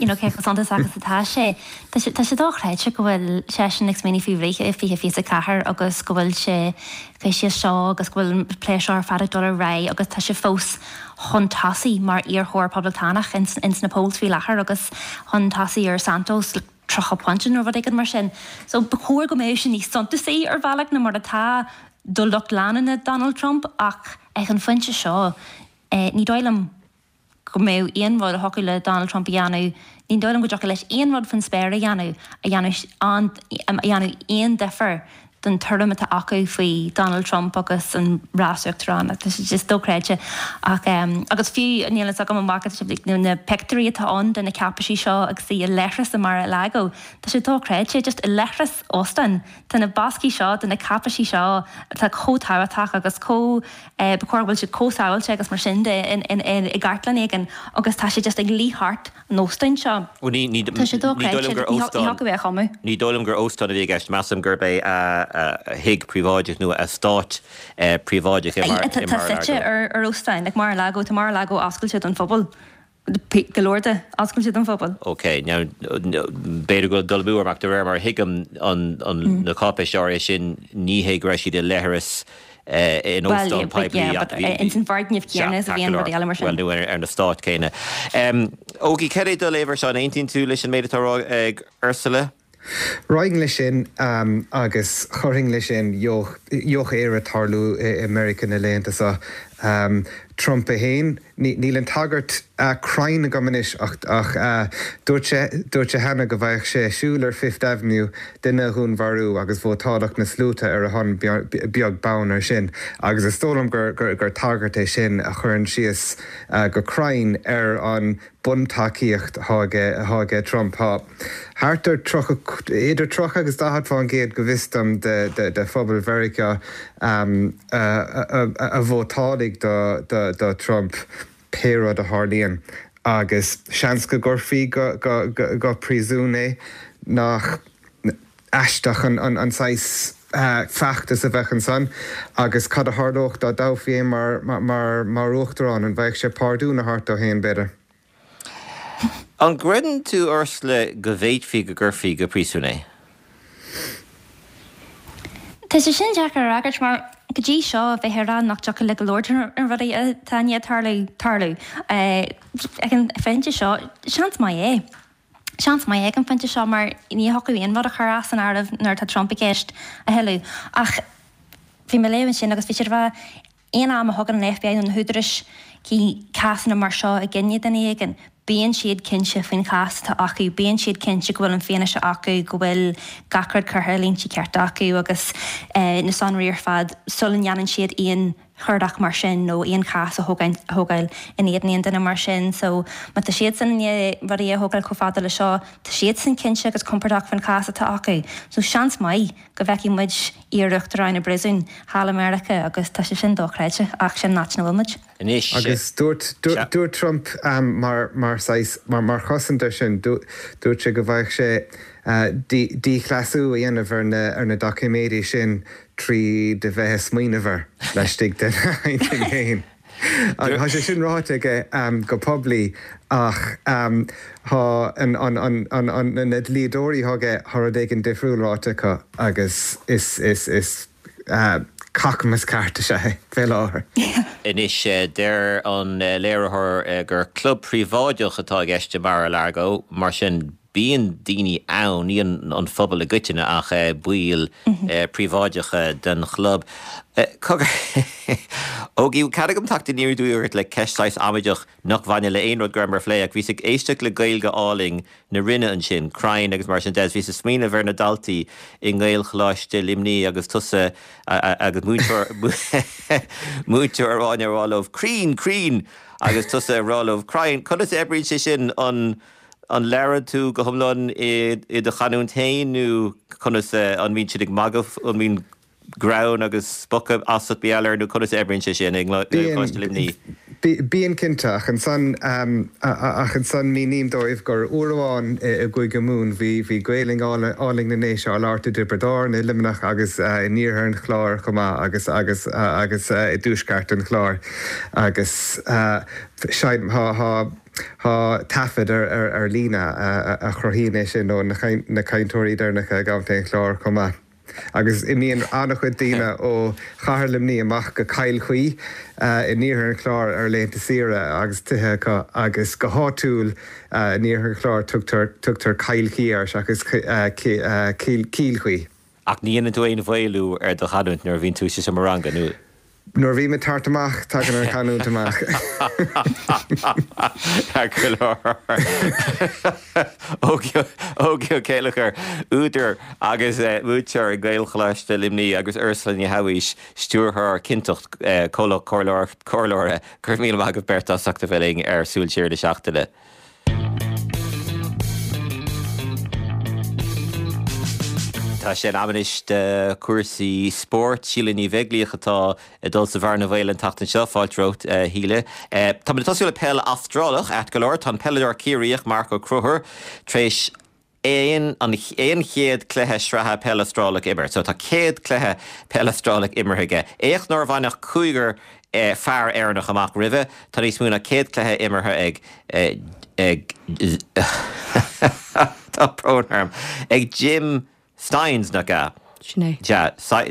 You know, cé chomh suntasach is atá sé? Tá sé, tá sé dochreidte go bhfuil seisean ag smaoineamh faoi rith i 2024 agus go bhfuil sé faoi seo agus go bhfuil an plé seo ar fad ag dul ar aghaidh agus tá sé fós chun tosaigh mar iarrthóir poblachtánach ins, ins na polls faoi láthair agus chun tosaigh ar Santos le 30 pointe nó rud éigin mar sin. So ba chóir go mbeadh sé níos suntasaí ar bhealach ná mar atá do lucht leanúna Donald Trump ach ag an phointe seo ní dóigh liom go mbeadh aon rud a thiocfadh le Donald Trump a dhéanamh, ní dóigh liom go dtiocfadh leis aon rud faoin spéir a dhéanamh a dhéanfadh an, a dhéanfadh aon difear don tuairim atá acu faoi Donald Trump agus an rás uachtaráin. Tá sé just dochreidte. Ach, agus fiú, níl a fhios agam an bhfaca sibh na pictiúirí atá ann de na cáipeisí seo agus í i leithreas i Mar-a-Lago. Tá sé dochreidte, just i leithreas óstáin. Tá na boscaí seo de na cáipeisí seo atá chomh tábhachtach agus chomh, ba chóir go bhfuil siad chomh sábháilte agus mar sin de i gcartlann éigin agus tá sé just ag luí thart an óstáin seo. Bhuel ní, ní, Tá sé ní dóigh dochreidte, liom gur ní óstán, thiocfadh é a chumadh. ní dóigh liom gur óstán a bhí i gceist. Measaim gurb é a thigh príobháideach nó a eastát príobháideach i Mar, i Tá suite Mar-a-Lago. ar ar óstán, like Mar-a-Lago, tá Mar-a-Lago oscailte don phobal. Go leor de oscailte don phobal. Ok, now, b'fhéidir go bhfuil dul amú orm ach de réir mar a thuigim an, na cáipéisí áirithe sin, ní hé go raibh siad i leithreas in óstán poiblí ach bhí, Ins an bhfoirgneamh céanna is a bhíonn rudaí eile mar sin. Bhuel, nó ar an eastát céanna. Ógie, cad é do léamh air seo? An aontaíonn tú leis an méid atá á rá ag Ursula? Raghainn leis sin agus chuirfinn leis sin gheobhaidh Éire tarlú i Meiriceá na laethanta seo. Trump é féin, níl an tagairt cruinn agam anois ach dúirt sé dúirt sé cheana go bhfaigheadh sé siúl ar Fifth Avenue duine a dhúnmharú agus vótálfadh na sluaite ar a shon beag beann ar sin. Agus is dóigh liom gur tagairt é sin a chuireann síos go cruinn ar an buntacaíocht atá aige Trump. Tá thart ar 30, idir 30 agus 40% go bhfios dom de phobal Mheiriceá a vótálfaidh do Trump pé rud a tharlaíonn agus seans go gcuirfí go príosún é. Nach aisteach an saghas feachtas a bheadh ansan agus cad a tharlódh dá dtoghfaí é mar uachtarán? An bhfaigheadh sé pardún a thabhairt dó féin, b'fhéidir? An gcreideann tú, Ursula, go bhféadfaí go gcuirfí go príosún é? Tá sé sin deacair a fhreagairt mar go dtí seo bheifeá ag rá nach dtiocfadh le go leor de na rudaí atá i ndiaidh tarlú, tarlú. Ag an phointe seo, seans maith é. Seans maith ag an phointe seo mar ní thiocfadh aon rud a chur as an áireamh nuair atá Trump i gceist a thuilleadh. Ach bhí mé ag léamh ansin agus bhí siad ag rá aon am a thugann an FBI nó na húdaráis cásanna mar seo i gcoinne duine éigin, bíonn siad cinnte faoin chás atá acu, bíonn siad cinnte go bhfuil an fianaise acu, go bhfuil gach rud curtha i línte cearta acu agus na sonraí ar fad sula ndéanann siad aon chuardach mar sin nó aon chás a thógáil in éadan aon duine mar sin. So má tá siadsan i ndiaidh rudaí a thógáil chomh fada le seo, tá siadsan cinnte agus compordach faoin chás atá acu. So seans maith go bhfeicfidh muid iar-uachtarán i bpríosún thall i Meiriceá agus tá sé sin dochreidte ach sin an áit ina bhfuil muid. Anois, Agus dúirt, sea. dúirt Trump mar, mar saghas, mar, mar chosaint air sin, dúirt sé go bhfaigheadh sé díchleasú a dhéanamh ar na, ar na doiciméidí sin tríd a bheith ag smaoineamh air laistigh dena intinn féin. Agus tá sé sin ráite aige go poiblí ach tá na dlíodóirí atá aige, tá rud éigin difriúil ráite acu agus is cacamas ceart is ea é fé láthair. Anois, deir an léiritheoir gur club príobháideach atá i gceist i Mar-a-Lago, mar sin Bíonn daoine ann, ní an phobal i gcoitinne ach baill príobháideacha den chlub. Cogar, Ógie, cead agam teacht aniar aduaidh ort le ceist saghas amaideach nach bhaineann le aon rud go rabhamar a phlé ach bhíos ag éisteacht le Gaeilge álainn na Rinne ansin, crainn agus mar sin de, is bhíos ag smaoineamh ar na daltaí i nGaelcholáiste Luimní agus tusa agus múinteoir múinteoir Áine ag rá leo crainn, crainn! agus tusa ag rá leo crainn. Conas a oibríonn sé sin an An labhrann tú go hiomlán i do chanúint féin nó conas, an mbíonn siad ag magadh, an mbíonn greann agus spochadh asat mar gheall air nó conas a oibríonn sé sin i nGaelcholáiste Luimní? Bíonn cinnte, ach ansan, ach ansan míním dóibh gur uair amháin i gCúige Mumhan bhí, bhí Gaelainn álainn na nDéise á labhairt i dTiobraid Árann, i Luimneach agus in iarthar an Chláir chomh maith agus, agus, agus i dtuaisceart an Chláir agus tá, tá, tá taifead ar, ar, ar líne a chruthaíonn é sin ó na cainteoirí deireanacha i gContae an Chláir chomh maith. Agus imíonn an-chuid daoine ó chathair Luimnigh amach go Cill Chaoi in iarthar an Chláir ar laethanta saoire agus tithe acu agus go háitiúil in iarthar an Chláir tugtar tugtar Cill Chaoi air seachas Cill Chaoi. Ach ní dhéanann tú aon mhaolú ar do chanúint nuair a bhíonn tú sa seomra ranga, nó? Nuair a bhím ag tabhairt amach, tagann an chanúint amach. Ceart go leor. Ógie Ó Céilleachair, údar agus múinteoir i nGaelcholáiste Luimnigh agus Ursula Ní Shabhaois, Stiúrthóir Cinnteacht, comhlacht comhairleora. Go raibh míle maith agaibh beirt as ucht a bheith linn ar Súil Siar na Seachtaine. Tá sé in am anois do chúrsaí spóirt. Síle Ní Bheaglaoich atá ag dul sa bhearna bhaoil an tseachtain seo. Fáilte romhat, a Shíle. Táimid ag tosú le peil Astrálach, ait go leor. Tá an peileadóir Ciarraíoch Marc Ó Conchúir tar éis an 100 cluiche sraithe peil Astrálach a imirt. So tá 100 cluiche peil Astrálach imeartha aige. Éacht nár bhain ach cúigear fear Éireannach amach roimhe. Tá níos mó ná 100 cluiche imeartha ag ag tá brón orm ag Jim Stynes, nach ea? Sin é. Sea,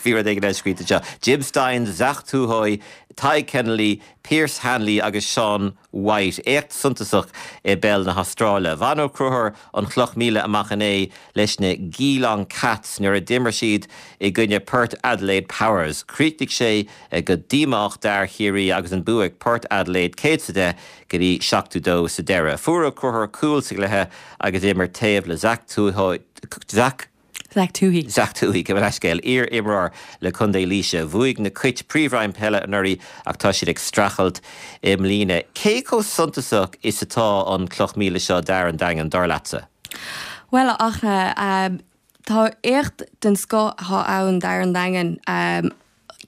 bhí rud éigin eile scríte anseo. Jim Stynes, Zach Tuohy, Tadhg Kennelly, Pearce Hanley agus Sean White, éacht suntasach i bpeil na hAstráile. Bhain Ó Conchúir an chloch 1000 amach inné leis na Geelong Cats nuair a d'imir siad i gcoinne Port Adelaide Powers. Chríochnaigh sé go díomách d'fhear Chiarraí agus an bua ag Port Adelaide 110 go dtí 72 sa deireadh. Fuair Ó Conchúir cúl sa gcluiche agus é ag imirt taobh le Zach Zach Zach Tuohy. Zach Tuohy, gabh mo leithscéal, iar-imreoir le Contae Laoise. Bhuaigh na Cait Príomhroinn Peile anuraidh ach tá siad ag streachailt i mbliana. Cé chomh suntasach is atá an cloch 1000 seo d'fhear an Daingin, dar leatsa? Bhuel, a Fhachtna, tá éacht den scoth atá ann d'fhear an Daingin.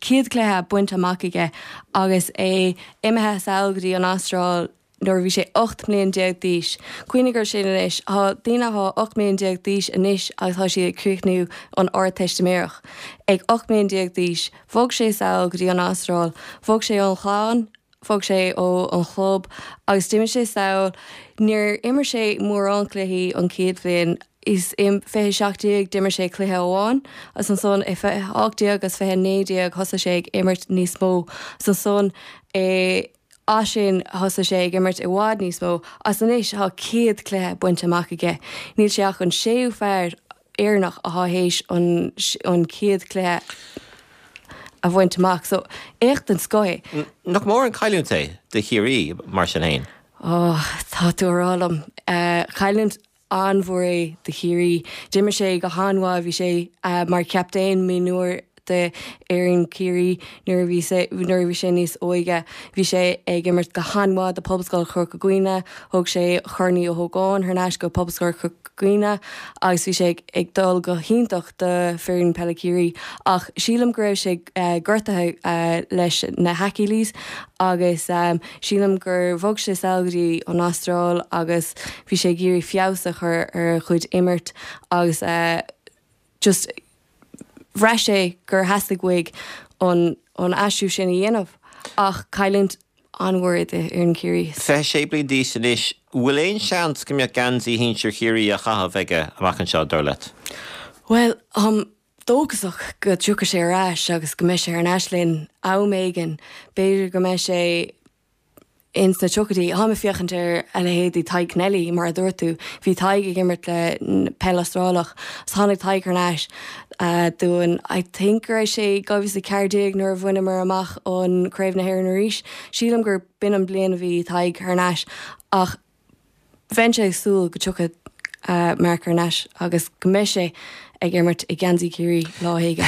100 cluiche bainte amach aige agus é imithe sall go dtí an Astráil nuair a bhí sé 18 mbliain d'aois. Cuimhnigh ar sin anois, tá daoine atá 18 mbliain d'aois anois agus tá siad ag críochnú an Ardteistiméireacht. Ag 18 mbliain d'aois, bhog sé sall go dtí an Astráil, bhog sé ón chlann, bhog sé ó an chlub agus d'imigh sé sall. Níor imir sé mórán cluichí an chéad bhliain. Is i 2017 d'imir sé cluiche amháin agus ansan i 2018 agus 2019 thosaigh sé ag imirt níos mó. Agus ansan i. As sin thosaigh sé ag imirt i bhfad níos mó agus anois tá 100 cluiche bainte amach aige. Níl sé ach an séú fear Éireannach atá théis an 100 cluiche a bhaint amach. So, éacht den scoth é. Nach mór an cailliúint é do Chiarraí mar sin fhéin? Ó, tá tú a rá liom. Cailliúint an-mhór é do Chiarraí. D'imir sé go han-mhaith, bhí sé mar chaptaen mionúir de fhoireann Chiarraí nuair a bhí sé nuair a bhí sé níos óige. Bhí sé ag imirt go han-mhaith do Pobalscoil Chorca Dhuibhne, thug sé Corn Uí Ógáin thar n-ais go Pobalscoil Chorca Dhuibhne agus bhí sé ag dul go hiontach do foireann peile Chiarraí ach sílim go raibh sé gortaithe leis na hAchilles agus Sílim gur bhog sé sall go dtí an Astráil agus bhí sé ag iarraidh feabhas a chur ar a chuid imirt agus just bhraith sé gur theastaigh uaidh an an aistriú sin a dhéanamh ach cailliúint an-mhór é d'fhoireann Chiarraí. 26 bliain d'aois anois, bhfuil aon seans go mbeadh geansaí shinsir Chiarraí á chaitheamh aige amach anseo, dar leat? Bhuel, táim dóchasach go dtiocfaidh sé ar ais agus go mbeidh sé thar n-ais linn am éigin. B'fhéidir go mbeidh sé ins na tríochaidí. Táim ag féachaint ar a leithéidí Tadhg Kennelly, mar a dúirt tú. Bhí Tadhg ag imirt le peil Astrálach agus tháinig Tadhg thar n-ais dúinn. I think go raibh sé 2014 nuair a bhaineamar amach an Craobh na hÉireann arís. Sílim gur b'in an bliain a bhí Tadhg thar n-ais ach Bheinnse ag súil go dtiocfaidh Marc thar n-ais agus go mbeidh sé ag imirt i ngeansaí Chiarraí lá éigin.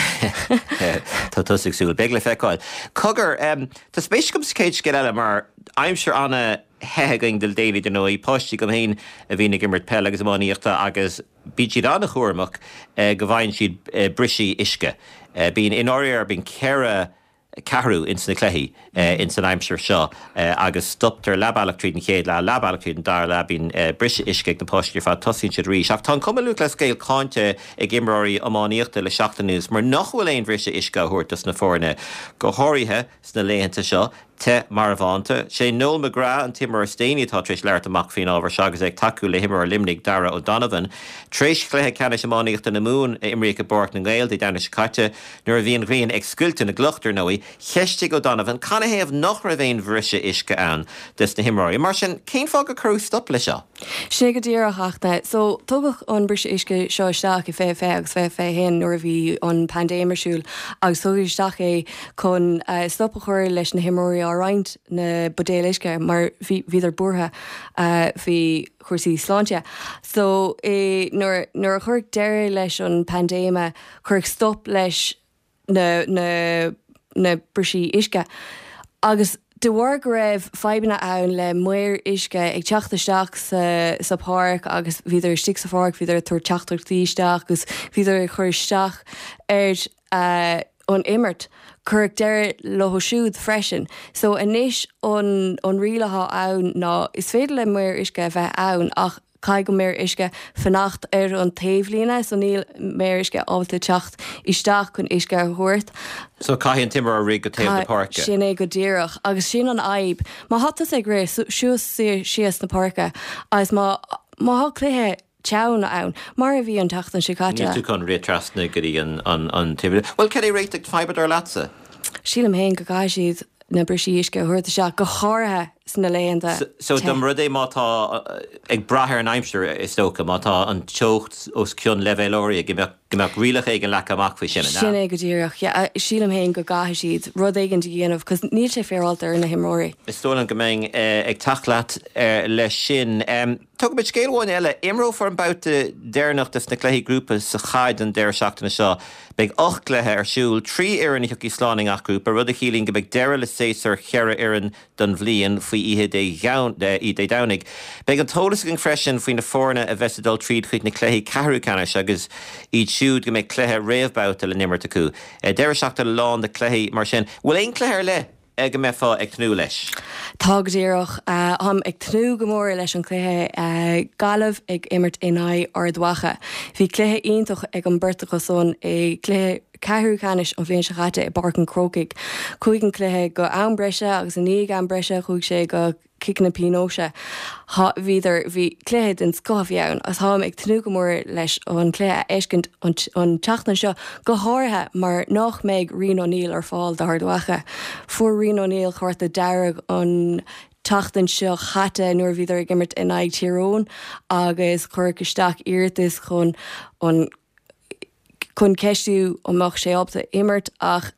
Tá tusa ag súil. Beidh le feiceáil. Cogar, tá spéis agam sa chéad scéal eile mar aimsir ana-the againn le déanaí dar ndóigh, páistí agam féin a bhíonn ag imirt peile agus iománaíochta agus bíonn siad an-chúramach go bhfaigheann siad briseadh uisce. Bíonn, i ndáiríre, bíonn 4. ceathrú ins na cluichí ins an aimsir seo agus stoptar leath bealach tríd an chéad leath, leath bealach tríd an dara leath, bíonn briseadh uisce ag na páistí ar fad, tosaíonn siad arís. Ach tá an Cumann Lúthchleas Gael cáinte ag imreoirí iománaíochta le seachtain anuas mar nach bhfuil aon bhriseadh uisce á thabhairt dos na foirne, go háirithe sna laethanta seo. Te marbhánta. Sé Noel McGrath an t-imreoir is déanaí atá tar éis labhairt amach faoin ábhar seo agus é ag tacú le himreoir Luimnigh, Darragh O'Donovan. Tar éis chluiche ceannais iománaíochta na Mumhan a imríodh i bPáirc na nGael Dé Domhnaigh seo caite, nuair a bhí an ghrian ag scoilteadh na gcloch, dar ndóigh, cheistigh O'Donovan canathaobh nach raibh aon bhriseadh uisce ann dos na himreoirí. Mar sin, cén fáth gur cuireadh stop leis seo? Sin é go díreach, Fhachtna. So, tugadh an briseadh uisce seo isteach i 2020 agus 2021 nuair a bhí an paindéim ar siúl agus tugadh isteach é chun stop a chur leis na himreoirí á roinnt na buidéil uisce mar bhí bhíodar buartha faoi chúrsaí sláinte. So, i nuair nuair a cuireadh deireadh leis an paindéime cuireadh stop leis na na na brisí uisce agus de bharr go raibh fadhbanna ann le maoir uisce ag teacht isteach sa sa pháirc agus bhíodar istigh sa pháirc, bhíodar ag tabhairt teachtaireachtaí isteach agus bhíodar ag cur isteach ar an imirt. Cuireadh deireadh leo siúd freisin. So anois an an riail atá ann ná is féidir le maor uisce a bheith ann ach Caithfidh an maor uisce fanacht ar an taobhlíne so níl maor uisce ábalta teacht isteach chun uisce a thabhairt. So caithfidh an t-imreoir rith go taobh na páirce. Sin é go díreach agus sin an fhadhb. Má thá tusa ag rith suas síos na páirce agus má má thá cluiche teann ann, mar a bhí an tseachtain seo caite. Níl tú chun rith trasna go dtí an taobh. Bhuel cad é réiteach na faidhbe dar leatsa? Sílim féin go gcaithfidh siad na brisí uisce a thabhairt isteach, go háirithe sna laethanta te. So dá mba rud é má tá, ag brath ar an aimsir is dócha, má tá an teocht os cionn leibhéal áirithe, go mbeadh, go mbeadh rialacha éigin leagtha amach faoi sin, an ea? Sin é go díreach, yeah. Sílim féin go gcaithfidh siad rud éigin a dhéanamh 'cause níl sé féaráilte ar na himreoirí. Is dóigh liom go mbeinn ag teacht leat leis sin. Tógfaimid scéal amháin eile. Imreofar an babhta deireanach des na cluichí grúpa sa chaid an deireadh seachtaine seo. Beidh 8 gcluiche ar siúl, 3 fhoireann a thiocfaidh slán i ngach grúpa, rud a chiallaíonn go mbeidh deireadh le séasúr cheithre fhoireann don bhliain faoi oíche Dé Domhnaigh. Beidh an t-eolas againn freisin faoi na foirne a bheas ag dul tríd chuig na cluichí ceathrú ceannais agus iad siúd go mbeidh cluiche réamhbhabhta le n-imirt acu. Deireadh seachtaine lán de chluichí mar sin. Bhfuil aon chluiche ar leith go mbeifeá ag tnúth leis? Tá go díreach. Táim ag tnúth go mór leis an chluiche Gaillimh ag imirt in aghaidh Ard Mhacha. Bhí cluiche iontach ag an beirt acu san i gcluiche ceathrú ceannais an bhliain seo chaite i bPáirc an Chrócaigh. Chuaigh an cluiche go am breise agus i ndiaidh am breise chuaigh sé go ciceanna pionóis. Thá, bhíodar, bhí cluiche den scoth a bhí ann agus táim ag tnúth go mór leis an cluiche a fheiscint an an tseachtain seo, go háirithe mar nach mbeidh Rian O'Neill ar fáil d'Ard Mhacha. Fuair Rian O'Neill cárta dearg an tseachtain seo chaite nuair a bhíodar ag imirt in aghaidh Tír Eoghain agus cuireadh isteach iarratas chun an chun ceistiú an mbeadh sé ábalta imirt ach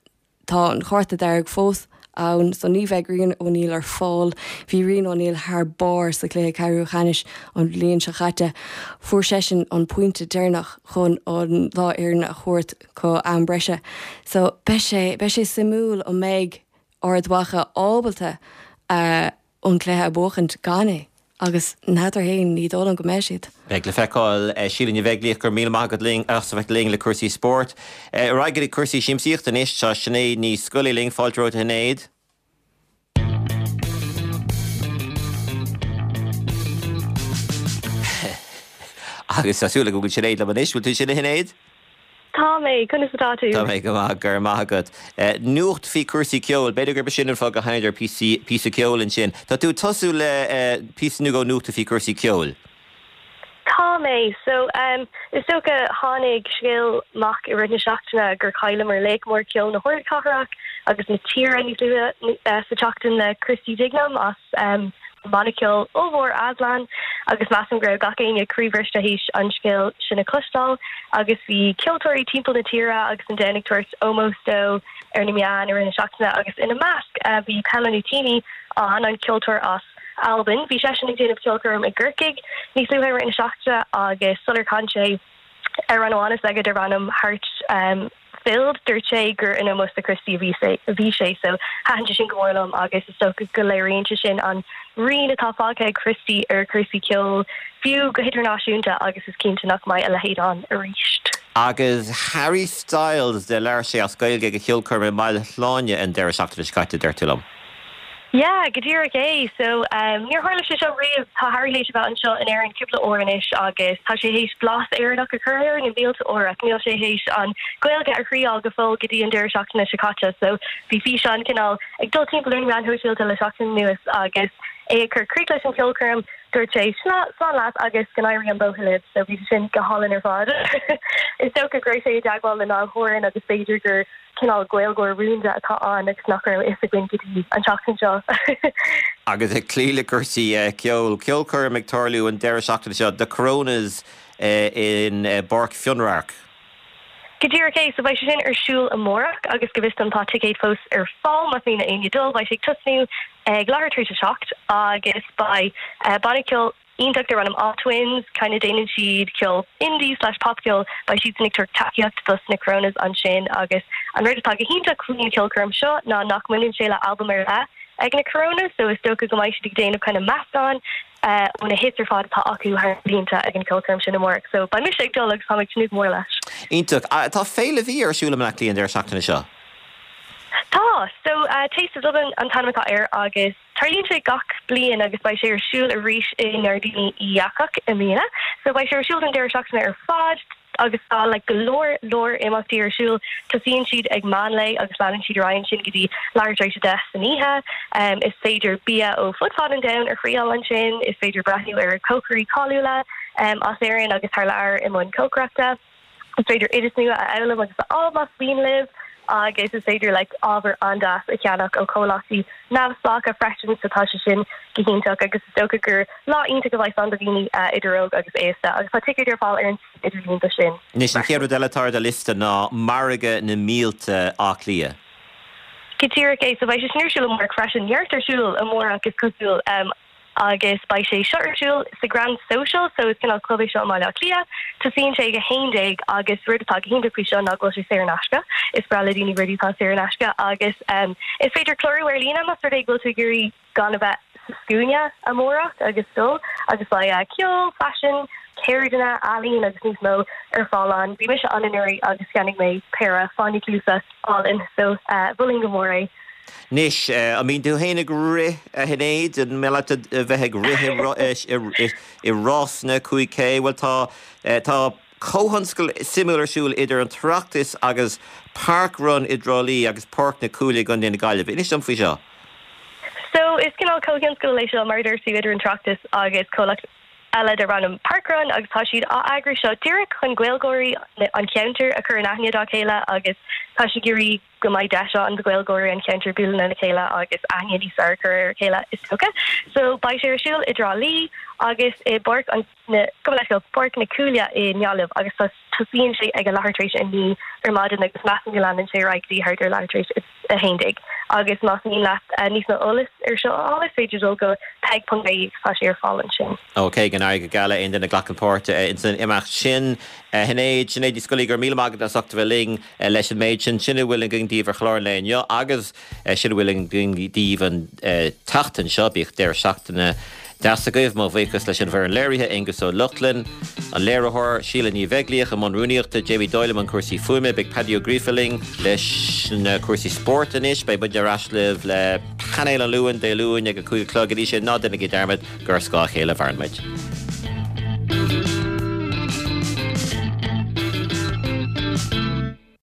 Tá an cárta dearg fós ann so ní bheidh Rian O'Neill ar fáil. Bhí Rian O'Neill thar barr sa chluiche ceathrú cheannais an bhliain seo chaite. Fuair seisean an pointe deireanach chun an dá fhoireann a thabhairt go am breise. So beidh sé, beidh sé suimiúil an mbeidh Ard Mhacha ábalta a an cluiche a bhuachaint gan é agus n'fheadar fhéin, ní dóigh liom go mbeidh siad. Beidh le feiceáil. Síle Ní Bheaglaoich, go raibh míle maith agat linn as a bheith linn le cúrsaí spóirt. Ar aghaidh go dtí cúrsaí siamsaíochta anois. Tá Sinéad Ní Scolaí linn. Fáilte romhat a Shinéad. Agus tá súil agam go bhfuil Sinéad liom anois. Bhfuil tú ansin a Shinéad? Tá mé, conas atá tú? Tá mé go maith, go raibh maith agat. Nuacht faoi cúrsaí ceoil, b'fhéidir gurb sin an fáth gur sheinneadar píosa ceoil ansin. Tá tú ag tosú le píosa nua go nuachta faoi cúrsaí ceoil. Tá mé. So, is dócha, tháinig scéal amach i rith na seachtaine gur chailleamar laoch mór ceoil na hardchathrach agus na tíre níos luaithe sa tseachtain le Christy Dignam as an mbanna ceoil ollmhór Aslan agus measaim go raibh gach éinne croíbhriste théis an scéal sin a chloisteáil agus bhí ceoltóirí timpeall na tíre agus an domhain ag tabhairt ómós dó ar na meáin i rith na seachtaine agus ina measc bhí Paolo Nutini an an ceoltóir as Albain. Bhí seisean ag déanamh ceolchoirm i gCorcaigh níos luaithe i rith na seachtaine agus sular chan sé amhrán amháin s'aige darb ainm Heart Filled, dúirt sé gur in ómós do Christy a bhí a bhí sé so thaitin sé sin go mór liom agus is dócha go léiríonn sé sin an rian atá fágtha ag Christy ar chúrsaí ceoil, fiú go hidirnáisiúnta agus is cinnte nach mbeidh a leithéid ann arís. Agus Harry Styles, de labhair sé as Gaeilge ag a cheolchoirm i mBaile Shláine an deireadh seachtaine seo caite, deir tú liom. Yeah, go díreach é. So, níor tharla sé seo riamh. Tá Harry théis a bheith anseo in Éirinn cúpla uair anois agus tá sé théis blas Éireannach a chur air na mílte uair ach níl sé théis an Ghaeilge a thriáil go fóill go dtí an deireadh seachtaine seo caite. So, bhí físeán cineál ag dul timpeall ar na meáin shóisialta le seachtain anuas agus é ag cur críoch leis an cheolchoirm, dúirt sé, Slán leat agus go n-éirí an bóthar libh. So, bhí sé sin go hálainn ar fad. Is dócha go raibh sé i dteagmháil le Niall Horan agus b'fhéidir gur cineál Gaeilgeoir rúnda atá ann agus nach raibh a fhios againn go dtí an tseachtain seo. Agus ag cloí le cúrsaí ceoil, ceolchoirm ag tarlú an deireadh seachtaine seo, The Coronas in bPáirc Fionnradharc. Go díreach é, so beidh sé sin ar siúl amárach agus go bhfios dom tá ticéid fós ar fáil más mian le éinne dul. Beidh sé ag tosnú ag leathuair tar éis a 7 agus beidh banna ceoil iontach darb ainm Awe Twins, kind of déanann siad ceol indie slash popcheol, beidh siadsan ag tabhairt tacaíocht dos na Coronas ansin agus an rud atá go hiontach faoin cheolchoirm seo ná nach mbaineann sé le albam ar leith ag na Coronas so is dócha go mbeidh siad ag déanamh kind of meascán ó na hits ar fad atá acu thar na blianta ag an cheolchoirm sin amárach so beidh mise ag dul agus táim ag tnúth go mór leis. Iontach. Tá féile bhia ar siúl i mBleá Cliath an deireadh seachtaine seo. Tá! So Taste of Dublin an t-ainm atá air agus. Tarlaíonn sé gach bliain agus beidh sé ar siúl arís i nGairdíní Uí Eachach i mbliana. So beidh sé ar siúl don deireadh seachtaine ar fad agus tá like go leor leor imeachtaí ar siúl. Tosaíonn siad ag meán lae agus leanann siad ar aghaidh ansin go dtí leathuair tar éis a 10 san oíche. Is féidir bia ó fud fad an domhain a thriáil ansin, is féidir breathnú ar cócairí cáiliúla as Éirinn agus thar lear i mbun cócaireachta. Is féidir oideas nua a fhoghlaim agus a fháil más mian libh agus is féidir like ábhar an-deas a cheannach ó chomhlachtaí neamhspleácha freisin so tá sé sin go hiontach agus is dócha gur lá iontach a bheidh ann do dhaoine idir óg agus aosta agus tá ticéid ar fáil ar an suíomh idirlín do sin Anois, an chéad rud eile atá ar do liosta ná Margadh na Míolta Átha Cliath. Go díreach é, so beidh sé sin ar siúl amárach freisin, neart ar siúl amárach is cosúil. Agus beidh sé seo ar siúl sa Grand Social, so is cineál club é seo i mBaile Átha Cliath. Tosaíonn sé ag 11 agus rud atá go hiontach faoi seo ná go bhfuil sé saor in aisce. Is breá le daoine rudaí atá saor in aisce agus is féidir clárú ar líne más rud é go bhfuil tú ag iarraidh gan a bheith sa scuaine amárach agus dul agus beidh ceol, faisean, ceirdeanna, ealaín agus níos mó ar fáil ann. Bhí mise ann anuraidh agus cheannaigh mé péire fáinní cluasa álainn so mholfainn go mór é. Anois, an mbíonn tú féin ag rith, a Shinéad? An maith leat a bheith ag rith i rásanna 5K? Bhuel, tá, tá comhthionscal suimiúil ar siúl idir an tOireachtas agus parkrun i dTrá Lí agus Páirc na Cúile i gContae na Gaillimhe. Inis dom faoi seo. So, is cineál comhthionscal é seo, mar a dúirt tú, idir an tOireachtas agus comhlacht eile darb ainm parkrun agus tá siad á eagrú seo díreach chun Gaeilgeoirí an cheantair a chur in aithne dá chéile agus tá siad ag iarraidh go mbeidh deis ann do Ghaeilgeoirí an cheantair bualadh lena chéile agus aithne níos fearr a chur ar a chéile is dócha. So beidh sé ar siúl i dTrá Lí agus i bPáirc an na, gabh mo leithscéal, Páirc na Cúile i nGaillimh agus tá tosaíonn sé ag a leathuair tar éis a 9 ar maidin agus measaim go leanann sé ar aghaidh go dtí thart ar leathuair tar éis a 11. Agus más mian leat níos mó eolais ar seo a fháil is féidir dul go peig.ie agus tá sé ar fáil ansin. Ok, go n-éirí go geal le aon duine a ghlacann páirt ins an imeacht sin. A Shinéad, Sinéad Ní Scolaí, go raibh míle maith agat as ucht a bheith linn. Leis an méid sin, sin a bhfuil againn daoibh ar chlár an lae inniu agus sin a bhfuil againn daoibh an tseachtain seo. Bíodh deireadh seachtaine deas agaibh. Mo bhuíochas leis an bhfoireann léirithe, Aengus Ó Lochlainn, an léiritheoir, Síle Ní Bheaglaoich i mbun rúnaíochta, Jamie Doyle i mbun cúrsaí fuaime. Beidh Paddy Ó Gríofa linn leis na cúrsaí spóirt anois. Beidh muidne ar ais libh le Painéal an Luain, Dé Luain ag a 5 a chlog. Go dtí sin, ná déanaigí dearmad gur ar scáth a chéile a mhaireann muid.